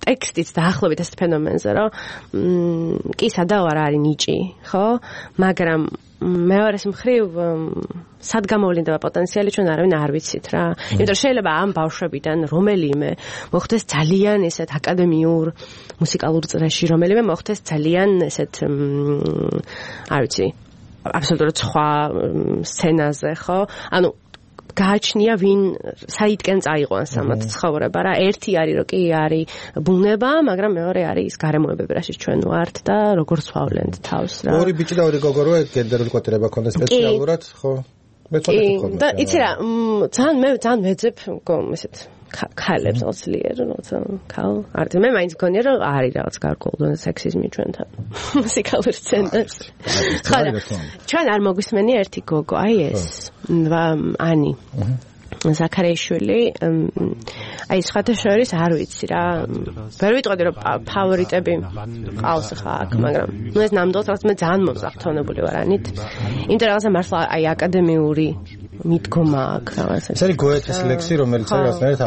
ტექსტიც დაახლოებით ეს ფენომენზე რომ კი სადაო არ არის ნიჭი ხო მაგრამ მეორეს მხრივ სად გამოვლინდება პოტენციალი ჩვენ არავინ არ ვიცით რა იმიტომ შეიძლება ამ ბავშვებიდან რომელიმე მოხდეს ძალიან ესეთ აკადემიურ მუსიკალურ წრეში რომელიმე მოხდეს ძალიან ესეთ არ ვიცი აბსოლუტურად სხვა სცენაზე ხო ანუ გააჩნია ვინ საითკენ წაიყვანს ამათ ცხოვრება რა ერთი არის რომ კი არის ბუნება მაგრამ მეორე არის ის გარემოებები რაშიც ჩვენ ვართ და როგორ ვსვავლენთ თავს რა ორი ბიჭი და ორი გოგო რო გენდერული კვოტირება ქონდა სპეციალურად ხო მე წოდები ხოლმე და იცი რა ძალიან მეძებ ესეთ ქალებს ოცლიერ როცა ქალ არტი მე მაინც მგონია რომ არის რაღაც გარკვეული სექსიზმი ჩვენთან მუსიკალურ სცენაზე ხარა ჩვენ არ მოგვისმენია ერთი გოგო აი ეს ანი ზაქარეიშვილი აი სხვათა შორის არ ვიცი რა ვერ ვიტყოდი რომ ფავორიტები ყავს ხა აქ მაგრამ ნუ ეს ნამდვილად რაღაც მე ძალიან მომზახთოვნებული ვარ ანით იმიტომ რაღაცა მართლა აი აკადემიური მიდგომა აქვს რაღაცა ეს არის გოეთეს ლექსი რომელიც არის რაღაცნაირად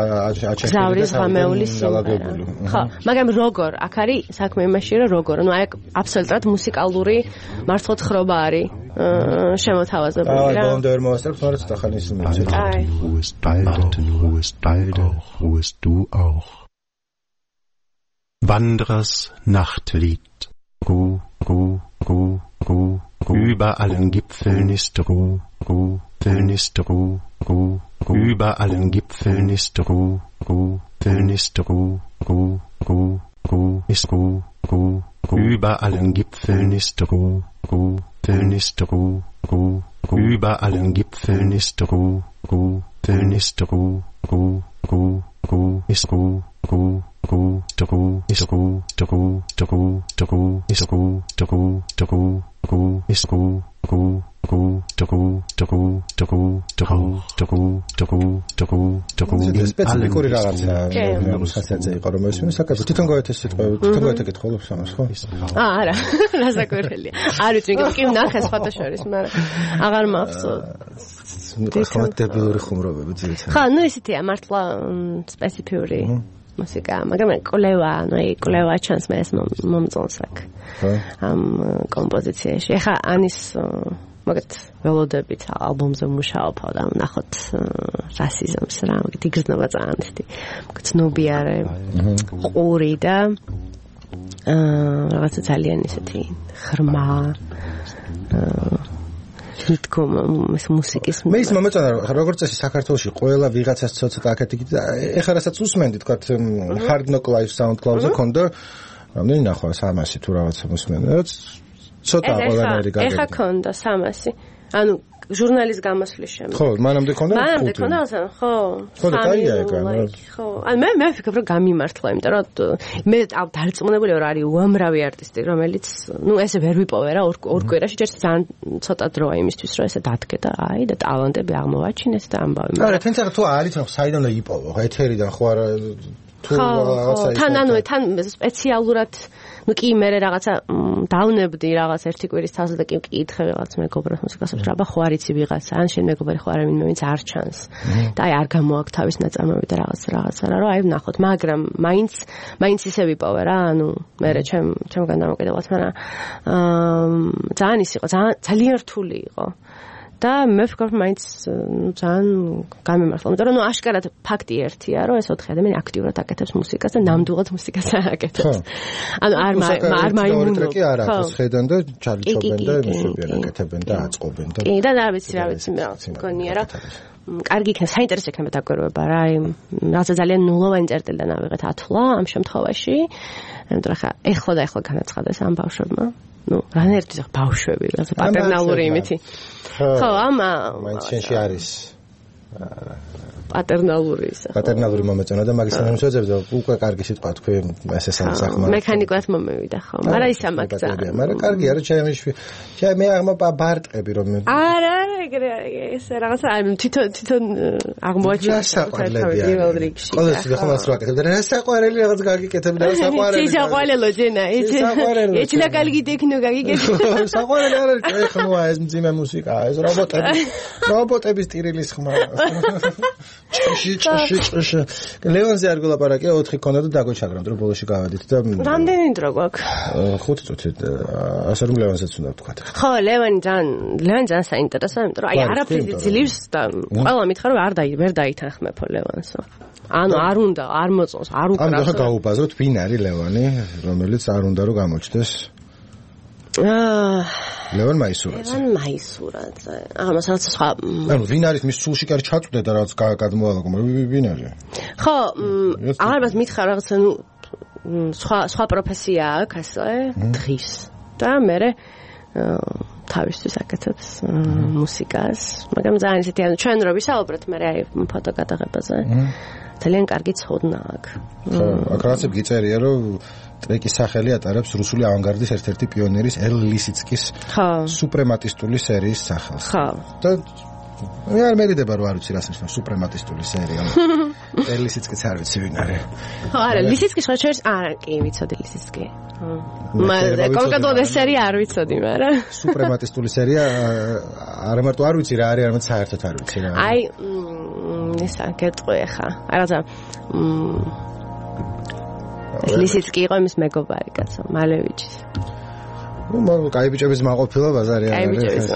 აჩექილი და გამეული სიმღერა ხო მაგრამ როგორ აქ არის საქმე იმაში რომ როგორ ნუ აი აბსოლუტურად მუსიკალური მართლმოთხრობა არის შემოთავაზებული რა ბოლომდე ვერ მოვასწრებ თორე ცოტა ხანი ის მეცეთ wo ist beide wo ist du auch Wanderers Nachtlied Ruh über allen Gipfeln ist Ruh über allen Gipfeln ist Ruh ist Ruh über allen Gipfeln ist Ruh ist Ruh über allen Gipfeln ist Ruh ist Ruh ist Ruh სპეციფიკური რაღაცა ხასიათზე იყო რომ ეს საკითხი თვითონ გაეთეს სიტყვები თვითონ გაეთეკითხულობს ამას ხო არა რასაკვირველია არ ვიცი კი ნახე სხვათა შორის მაგრამ აღარ მახსოვს ხმატებიური ხუმრობები ძირითადად ხო ნუ ისეთია მართლა სპეციფიური მუსიკა მაგრამ კოლევა ნუ კოლევა ჩანს მე ეს მომწონს აქ ამ კომპოზიციაში ხა ანის მაგათ ველოდებით ალბომზე მუშაობ და ნახოთ რასიზმს რა, მაგათ იგრძნობა ძალიან დიდი. გცნობიარე ყური და რაღაცა ძალიან ისეთი ღრმა თვითკომ ეს მუსიკის მე ის მომეწონა როგორც წესი საქართველოში ყველა ვიღაცას ცოტა აქეთი ეხლა რასაც უსმენდი თქვა Hard Knock Live SoundCloud-ზე ქონდა რამდენი ნახვა 300 თუ რაღაცა მოსმენდა ცოტა ყველანაირი გაგები ეხა ქონდა 300 ანუ ჟურნალის გამოსვლის შემდეგ ხო მანამდე ქონდა მანამდე ქონდა ხო და კაია ეგ ხო ანუ მე ვფიქრობ რომ გამიმართლა იმიტომ რომ მე დარწმუნებული ვარ არის უამრავი არტისტი რომელიც ნუ ესე ვერ ვიპოვე რა ორ კვირაში ჯერ ძალიან ცოტა დროა იმისთვის რომ ესე დადგე და აი და ტალანტები აღმოვაჩინეს და ამბავი არა თან თუ არის ხო საიდან და იპოვო ხო ეთერიდან ხო არა თუ რაღაცა თან ანუ თან სპეციალურად ну კი მე რაღაცა დავნებდი რაღაც ერთი კვირის თავს და კი მკითხე რაღაც მეგობრებს მუსიკასებს რა ხო არიცი ვიღაცა ან შენ მეგობარი ხო არა ვინმე ვინც არ ჩანს და აი არ გამოაქვს თავის ნაწარმოები და რაღაცა რა რომ აი ვნახოთ მაგრამ მაინც ისე ვიპოვე რა ანუ მე ჩემგან დამოკიდებულად მაგრამ ძალიან ის იყო ძალიან რთული იყო და მე ვფიქრობ მაინც ძალიან გამიმართლა იმიტომ რომ აშკარად ფაქტი ერთია რომ ეს 4 ადამიანი აქტიურად აკეთებს მუსიკას და ნამდვილად მუსიკას აკეთებს ანუ არ მაიმუნო კი არა ეს ხედან და ჩარლი ჩობენ და მუსიკიან აკეთებენ და აწყობენ და კი და რა ვიცი მგონია რა კარგი იქნება საინტერესო იქნება დაკვირვება რა რაღაცა ძალიან ნულოვანი წერტილიდან ავიღეთ ათვლა ამ შემთხვევაში იმიტომ რომ ეხლა განაცხადეს ამ ბავშვებმა ну, რანერთი ბავშვები, რაღაცა პატერნალური იმითი. ხო, მაინც შენში არის პატერნალური ისა. პატერნალური მომეწონა და მაგის შემოძებ და უკვე კარგი სიტყვა თქვი ესე სამსახმა. მექანიკად მომევიდა ხო, მაგრამ ისა მაგცა. მაგრამ კარგი არა ჩემი მე აღმო ბარტყები რომ არა, ეგრე ეს რაღაცა თვითონ აღმოაჩინა პირველ რიგში. ყოველთვის ხომ ასე ვაკეთებ და რა საყვარელი რაღაც გაგიკეთებ და რა საყვარელი. საყვარელო ჯენა, ეჩი და კარგი ტექნო გაგიკეთებ. საყვარელი არ არის ხმოა ეს მძიმე მუსიკა, ეს რობოტების ტირილის ხმა. ჭში. ლევანზე არ გულაპარაკია 4 ქონდა და დაგვეჩაგრამ დრო ბოლოში გავედით და რამდენი დრო გვაქვს? 5 წუთი ასე რომ ლევანზეც უნდა ვთქვა. ხო, ლევანი ძალიან საინტერესოა, იმიტომ რომ აი არაფერი ძლივს და ყველა მითხრა რომ ვერ დაითანხმებო ლევანსო. ანუ არ უნდა, არ მოწონს, არ უკრავს. ანუ ხა გაუბაზროთ ვინ არის ლევანი, რომელიც არ უნდა რომ გამოჩნდეს. ლევან მაისურაძე. ამას რაღაც სხვა. ანუ ვინ არის მის სულში კარ ჩაწვდე და რაღაც გადმოალაგო, ვინ არის? ხო, ალბათ მითხრა რაღაც ნუ სხვა პროფესია აქვს ასე, დღის. და მე თავისთვის აკეთებს მუსიკას, მაგრამ ძალიან ისეთი ანუ ჩვენ რო ვისაუბრეთ, მე აი ფოტო გადაღებაზე. ძალიან კარგი ცოდნა აქვს. ხო, აქ რაღაცა გიწერია რომ ტრეკის სახელი ატარებს რუსული ავანგარდის ერთ-ერთი პიონერის ელ ლისიცკის სუპრემატისტული სერიის სახელს. ხო. და მე არ მერიდება რომ არ ვიცი რას ნიშნავს სუპრემატისტული სერია. ელ ლისიცკიც არ ვიცი ვინ არის. ხო, არა, ლისიცკის ხოჩერს არა, კი ვიცოდი ლისიცკი. კონკრეტულად ეს სერია არ ვიცოდი, მაგრამ სუპრემატისტული სერია არა მარტო არ ვიცი რა არის, არამედ საერთოდ არ ვიცი რა. აი, ისა გეტყვი ხა. რაღაცა ლისიცკი იყო იმის მეგობარი კაცო, მალევიჩის. ნუ კაი ბიჭების მაყოფილა ბაზარი არის. კაი ბიჭების.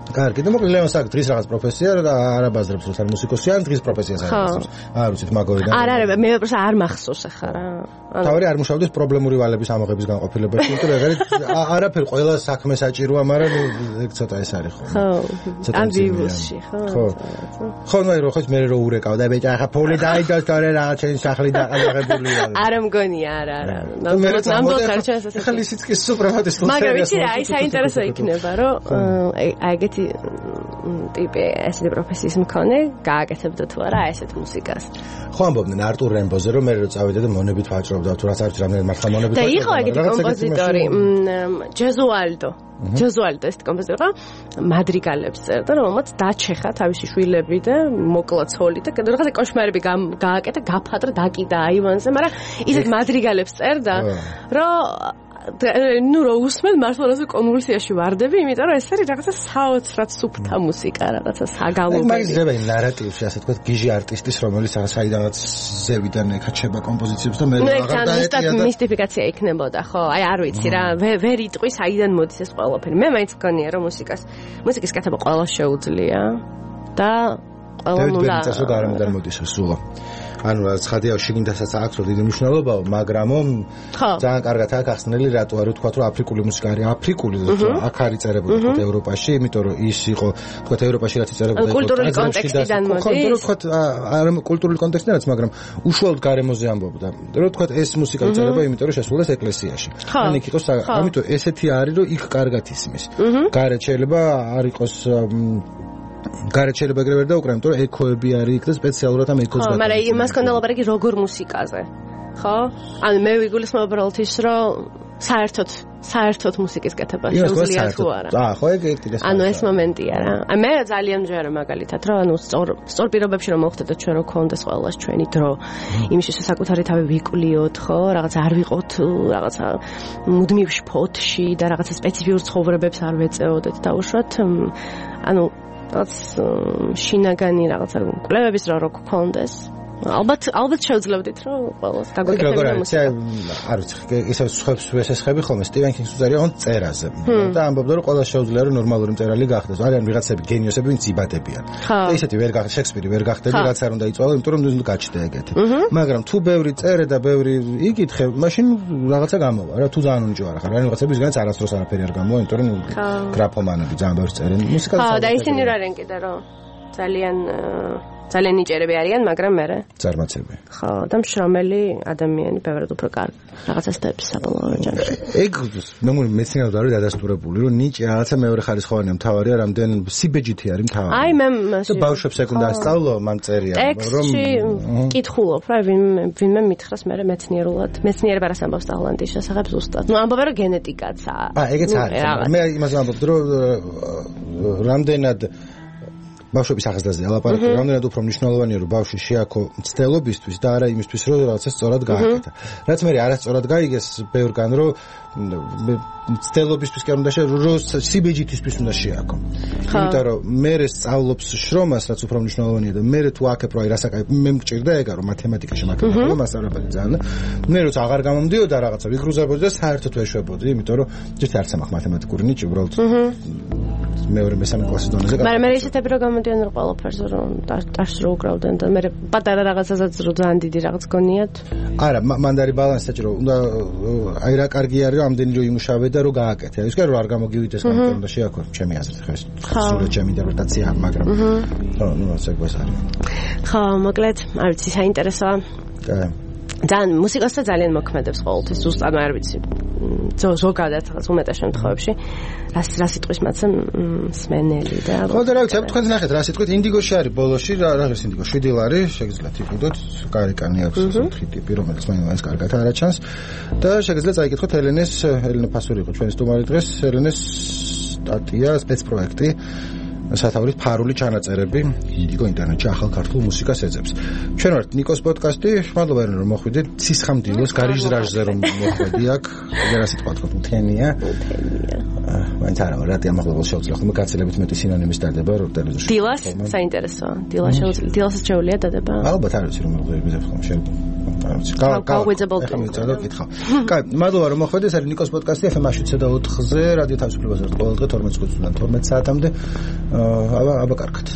კარგი, და მოკლედ ლევანს აქვს დღის რაღაც პროფესია და არ აბაზრებს როცა მუსიკოსი ან დღის პროფესიას არ აბაზრებს. არ ვიცით მაგორიდან. არა, მე პროფესია არ მახსოვს ახლა რა. თავი არ მუშავდეს პრობლემური ვალების ამოღების განყოფილებაში, იმიტომ რომ არაფერ ყველა საქმე საჭიროა, მაგრამ ეგ ცოტა ეს არის ხო. ხო. ამბიუსში, ხო. ხო, ნუ რო ხო მე რო ურეკავ და ბიჭა ახლა ფული დაიდოს თორე რაღაც შენ სახლი დაყალაღებული არის. არა მგონია, არა. ნამდვილად არ ჩანს ასე. ახლა ლისიცკის სუპრემატისტული სერია. მაგრამ ვიცი რა, აი საინტერესო იქნება, რომ აი ეგეთი ტიპი ესეთი პროფესიის მქონე გააკეთებდა თუ არა ესეთ მუსიკას. ხო ამბობდნენ არტურ რემბოზე რომ მე რო წავიდე და მონებით ვაჭრობდა თუ რაც არის რამდენად მართლა მონებით და იყო ეგეთი კომპოზიტორი ჯეზუალდო ეს კომპოზიტორი მადრიგალებს წერდა რომელმაც დაჩეხა თავისი შვილები და მოკლა ცოლი და რაღაცა კოშმარები გააკეთა გაფადრა დაკიდა აივანზე მაგრამ ისეთ მადრიგალებს წერდა რომ ნუ რო უსმენ მართლაც კონვულსიაში ვარდები, იმიტომ რომ ეს არის რაღაცა საოცრად სუფთა მუსიკა, რაღაცა საგალობელი. მაგის ძებენ ნარატივში, ასე თქვა, გიჟი არტისტის, რომელიც საიდანაც ზევიდან ეკაჩება კომპოზიციებს და მე აღარ დაეტია და მისტიფიკაცია იქნებოდა, ხო? აი არ ვიცი რა, ვერ იტყვი საიდან მოდის ეს ყველაფერი. მე მაინც გქონია რომ მუსიკის კეთება ყველა შეუძლია და ყველა ნულა. დევიდ გარემოდან მოდის სულა. ანუ ცხადია შიგნითასაც აქვს დიდი მნიშვნელობა, მაგრამ ძალიან კარგად აქვს ახსნელი რატო არ ვთქვა რომ აფრიკული მუსიკა არის აფრიკული აქ არის წერებული თქო ევროპაში, იმიტომ რომ ის იყო თქო ევროპაში რაც წერებოდა კულტურული კონტექსტიდან მოდის. ხო, არ კულტურული კონტექსტიდანაც, მაგრამ უშუალოდ გარემოზე ამბობდა. რომ თქო ეს მუსიკა წერება, იმიტომ რომ შესრულეს ეკლესიაში. ან იქ იყოს, ამიტომ ესეთი არის რომ იქ კარგად ისმის. გარეთ შეიძლება არ იყოს გარეთ შეიძლება ეგრევე ვერ დაუკრა, იმიტომ რომ ეკოები არის იქ და სპეციალურად ამ ეკოს მაგრამ იმას ქონდა ლაპარაკი როგორ მუსიკაზე, ხო? ანუ მე ვიგულისხმობ უბრალოდ ის, რომ საერთოდ მუსიკის კეთება შეუძლია თუ არა. ხო, ეგ ერთია. ანუ ეს მომენტია რა. აი მე ძალიან მჯერა მაგალითად, რომ ანუ სწორ პირობებში რომ მოხდეთ ჩვენ რომ გქონდეს ყველას ჩვენი დრო, იმის საკუთარი თავი ვიკვლიოთ, ხო? რაღაცა არ ვიყოთ, რაღაცა მუდმივ შფოთში და რაღაცა სპეციფიურ ცხოვრებებს არ ვეწეოდეთ დაუშვათ. ანუ რაც შინაგანი რაღაცა კვლევების რო გქონდეს. ალბათ შევძლებდით რომ ყველას გაგვეკეთებინა მუსიკა. არ ვიცი, ისე სხვებს ვესესხები ხოლმე სტივენ კინგს უძარია on წერაზე. და ამბობდა რომ ყველას შეუძლია რომ ნორმალური მწერალი გახდეს. არიან ვიღაცები გენიოსები, ვინც იბადებიან. და ისეთი ვერ გახდა შექსპირი ვერ გახდები, რაც არ უნდა იწვალო, იმიტომ რომ ნუ გაჩნდა ეგეთი. მაგრამ თუ ბევრი წერე და ბევრი იკითხე, მაშინ რაღაცა გამოვა რა, თუ ძალიან უნჯო არ ხარ. ან ვიღაცები ვისგანაც არასდროს არაფერი არ გამოვა, იმიტომ რომ გრაფომანები ძალიან ბევრს წერენ. მუსიკას ხო, და ისინი რა არიან კიდე რომ ძალიან ნიჭერები არიან, მაგრამ მე ზარმაცები. ხო, და მშრომელი ადამიანი ბევრად უფრო კარგი. რაღაცა სტეპს საბოლოო ჯამში. ეგ მეცნიერულად არის დადასტურებული, რომ ნიჭი რაღაცა მეორე ხარისხოვანია, მთავარია რამდენ სიბეჯითი არის მთავარი. აი მე ბავშვებს ეგ უნდა ასწავლო, მან წერია, რომ კითხულობ რა, ვინმე მითხრას მე მეცნიერულად, მეცნიერება რას ამბობს ტალანტის შესახებ ზუსტად. ნუ ამბობენ რომ გენეტიკაცაა. ეგეც არის. მე იმას ამბობ, რომ რამდენად ბავშვების ახსნაზე ალაპარაკი, რამდენად უფრო მნიშვნელოვანია რომ ბავშვი შეაქო მცდელობისთვის და არა იმისთვის რომ რაღაცა სწორად გააკეთა. რაც მე არასწორად გაიგეს ბევრგან რომ მცდელობისთვის კი არ უნდა რომ სიბეჯითისთვის უნდა შეაქო. იმიტომ რომ მე სწავლობს შრომას, რაც უფრო მნიშვნელოვანია და მე თუ აქებ რომ აი რასაკეთებ, მე მგჭირდა ეგა რომ მათემატიკაში მაგალითად მასწავლებელი ძალიან. მე როცა აღარ გამომდიოდა რაღაცა ვიგრუზებოდი და საერთოდ ვერ შვებოდი, იმიტომ რომ ჯერ არც ამახ მათემატიკური ნიჭი უბრალოდ მეორე მესამე კლასის დონეზე. მაგრამ მე ისეთები რომ გამოდიან რომ ყველაფერზე რომ დაშ რო უკრავდნენ და მე პატარა რაღაცასაც რო ძალიან დიდი რაღაც გონიათ. არა, მან არის ბალანსი საჭირო. უნდა აი რა კარგი არის რომ ამდენი რო იმუშავე და რო გააკეთე. ის კი რომ არ გამოგივიდეს გამოგე უნდა შეაქო ჩემი აზრით ხეს. სულ ჩემი ინტერპრეტაცია, მაგრამ ხო, ნუ ასე გვეს არის. ხო, მოკლედ, არ ვიცი, საინტერესოა. ძალიან მუსიკასთან ძალიან მოქმედებს ყოველთვის, ზუსტად არ ვიცი. ზოგადად რაღაც უმეტეს შემთხვევებში რა სიტყვის მათზე სმენელი და ხო და რა ვიცი, თქვენ ნახეთ რა სიტყვით ინდიგოში არის ბოლოში რა არის ინდიგო 7 ლარი შეგიძლიათ იყიდოთ, გარეკანი აქვს ოთხი ტიპი, რომელიც მაინც კარგად არაჩანს და შეგიძლიათ წაიკითხოთ ელენე ფასური იყო ჩვენი სტუმარი დღეს, ელენეს სტატია სპეცპროექტი სათავრის ფარული ჩანაწერები ინდიგო ინტერნეტში ახალ ქართულ მუსიკას ეძებს. ჩვენ ვართ ნიკოს პოდკასტი, მადლობა რომ მოხვიდით. ცისხამდილოს გარიჟრაჟზე რომ მოხვედი აქ, რა სიტყვა თქვა, მთენია. მაინც არა, რატი ამაღლებელ შეუძლია ხოლმე გაცილებით მეტი სინონიმის დადება რო ტელევიზორში. დილას საინტერესოა. დილასაც შეუძლია დადება. ალბათ არ ვიცი რომ მოხდება ხოლმე შეიძლება. გავუძებელ კითხავ. კაი, მადლობა რომ მოხვედით. ეს არის ნიკოს პოდკასტი FM-7.4-ზე, რადიო თავისუფლებაზე ყოველდღე 12 საათამდე. აბა კარგად.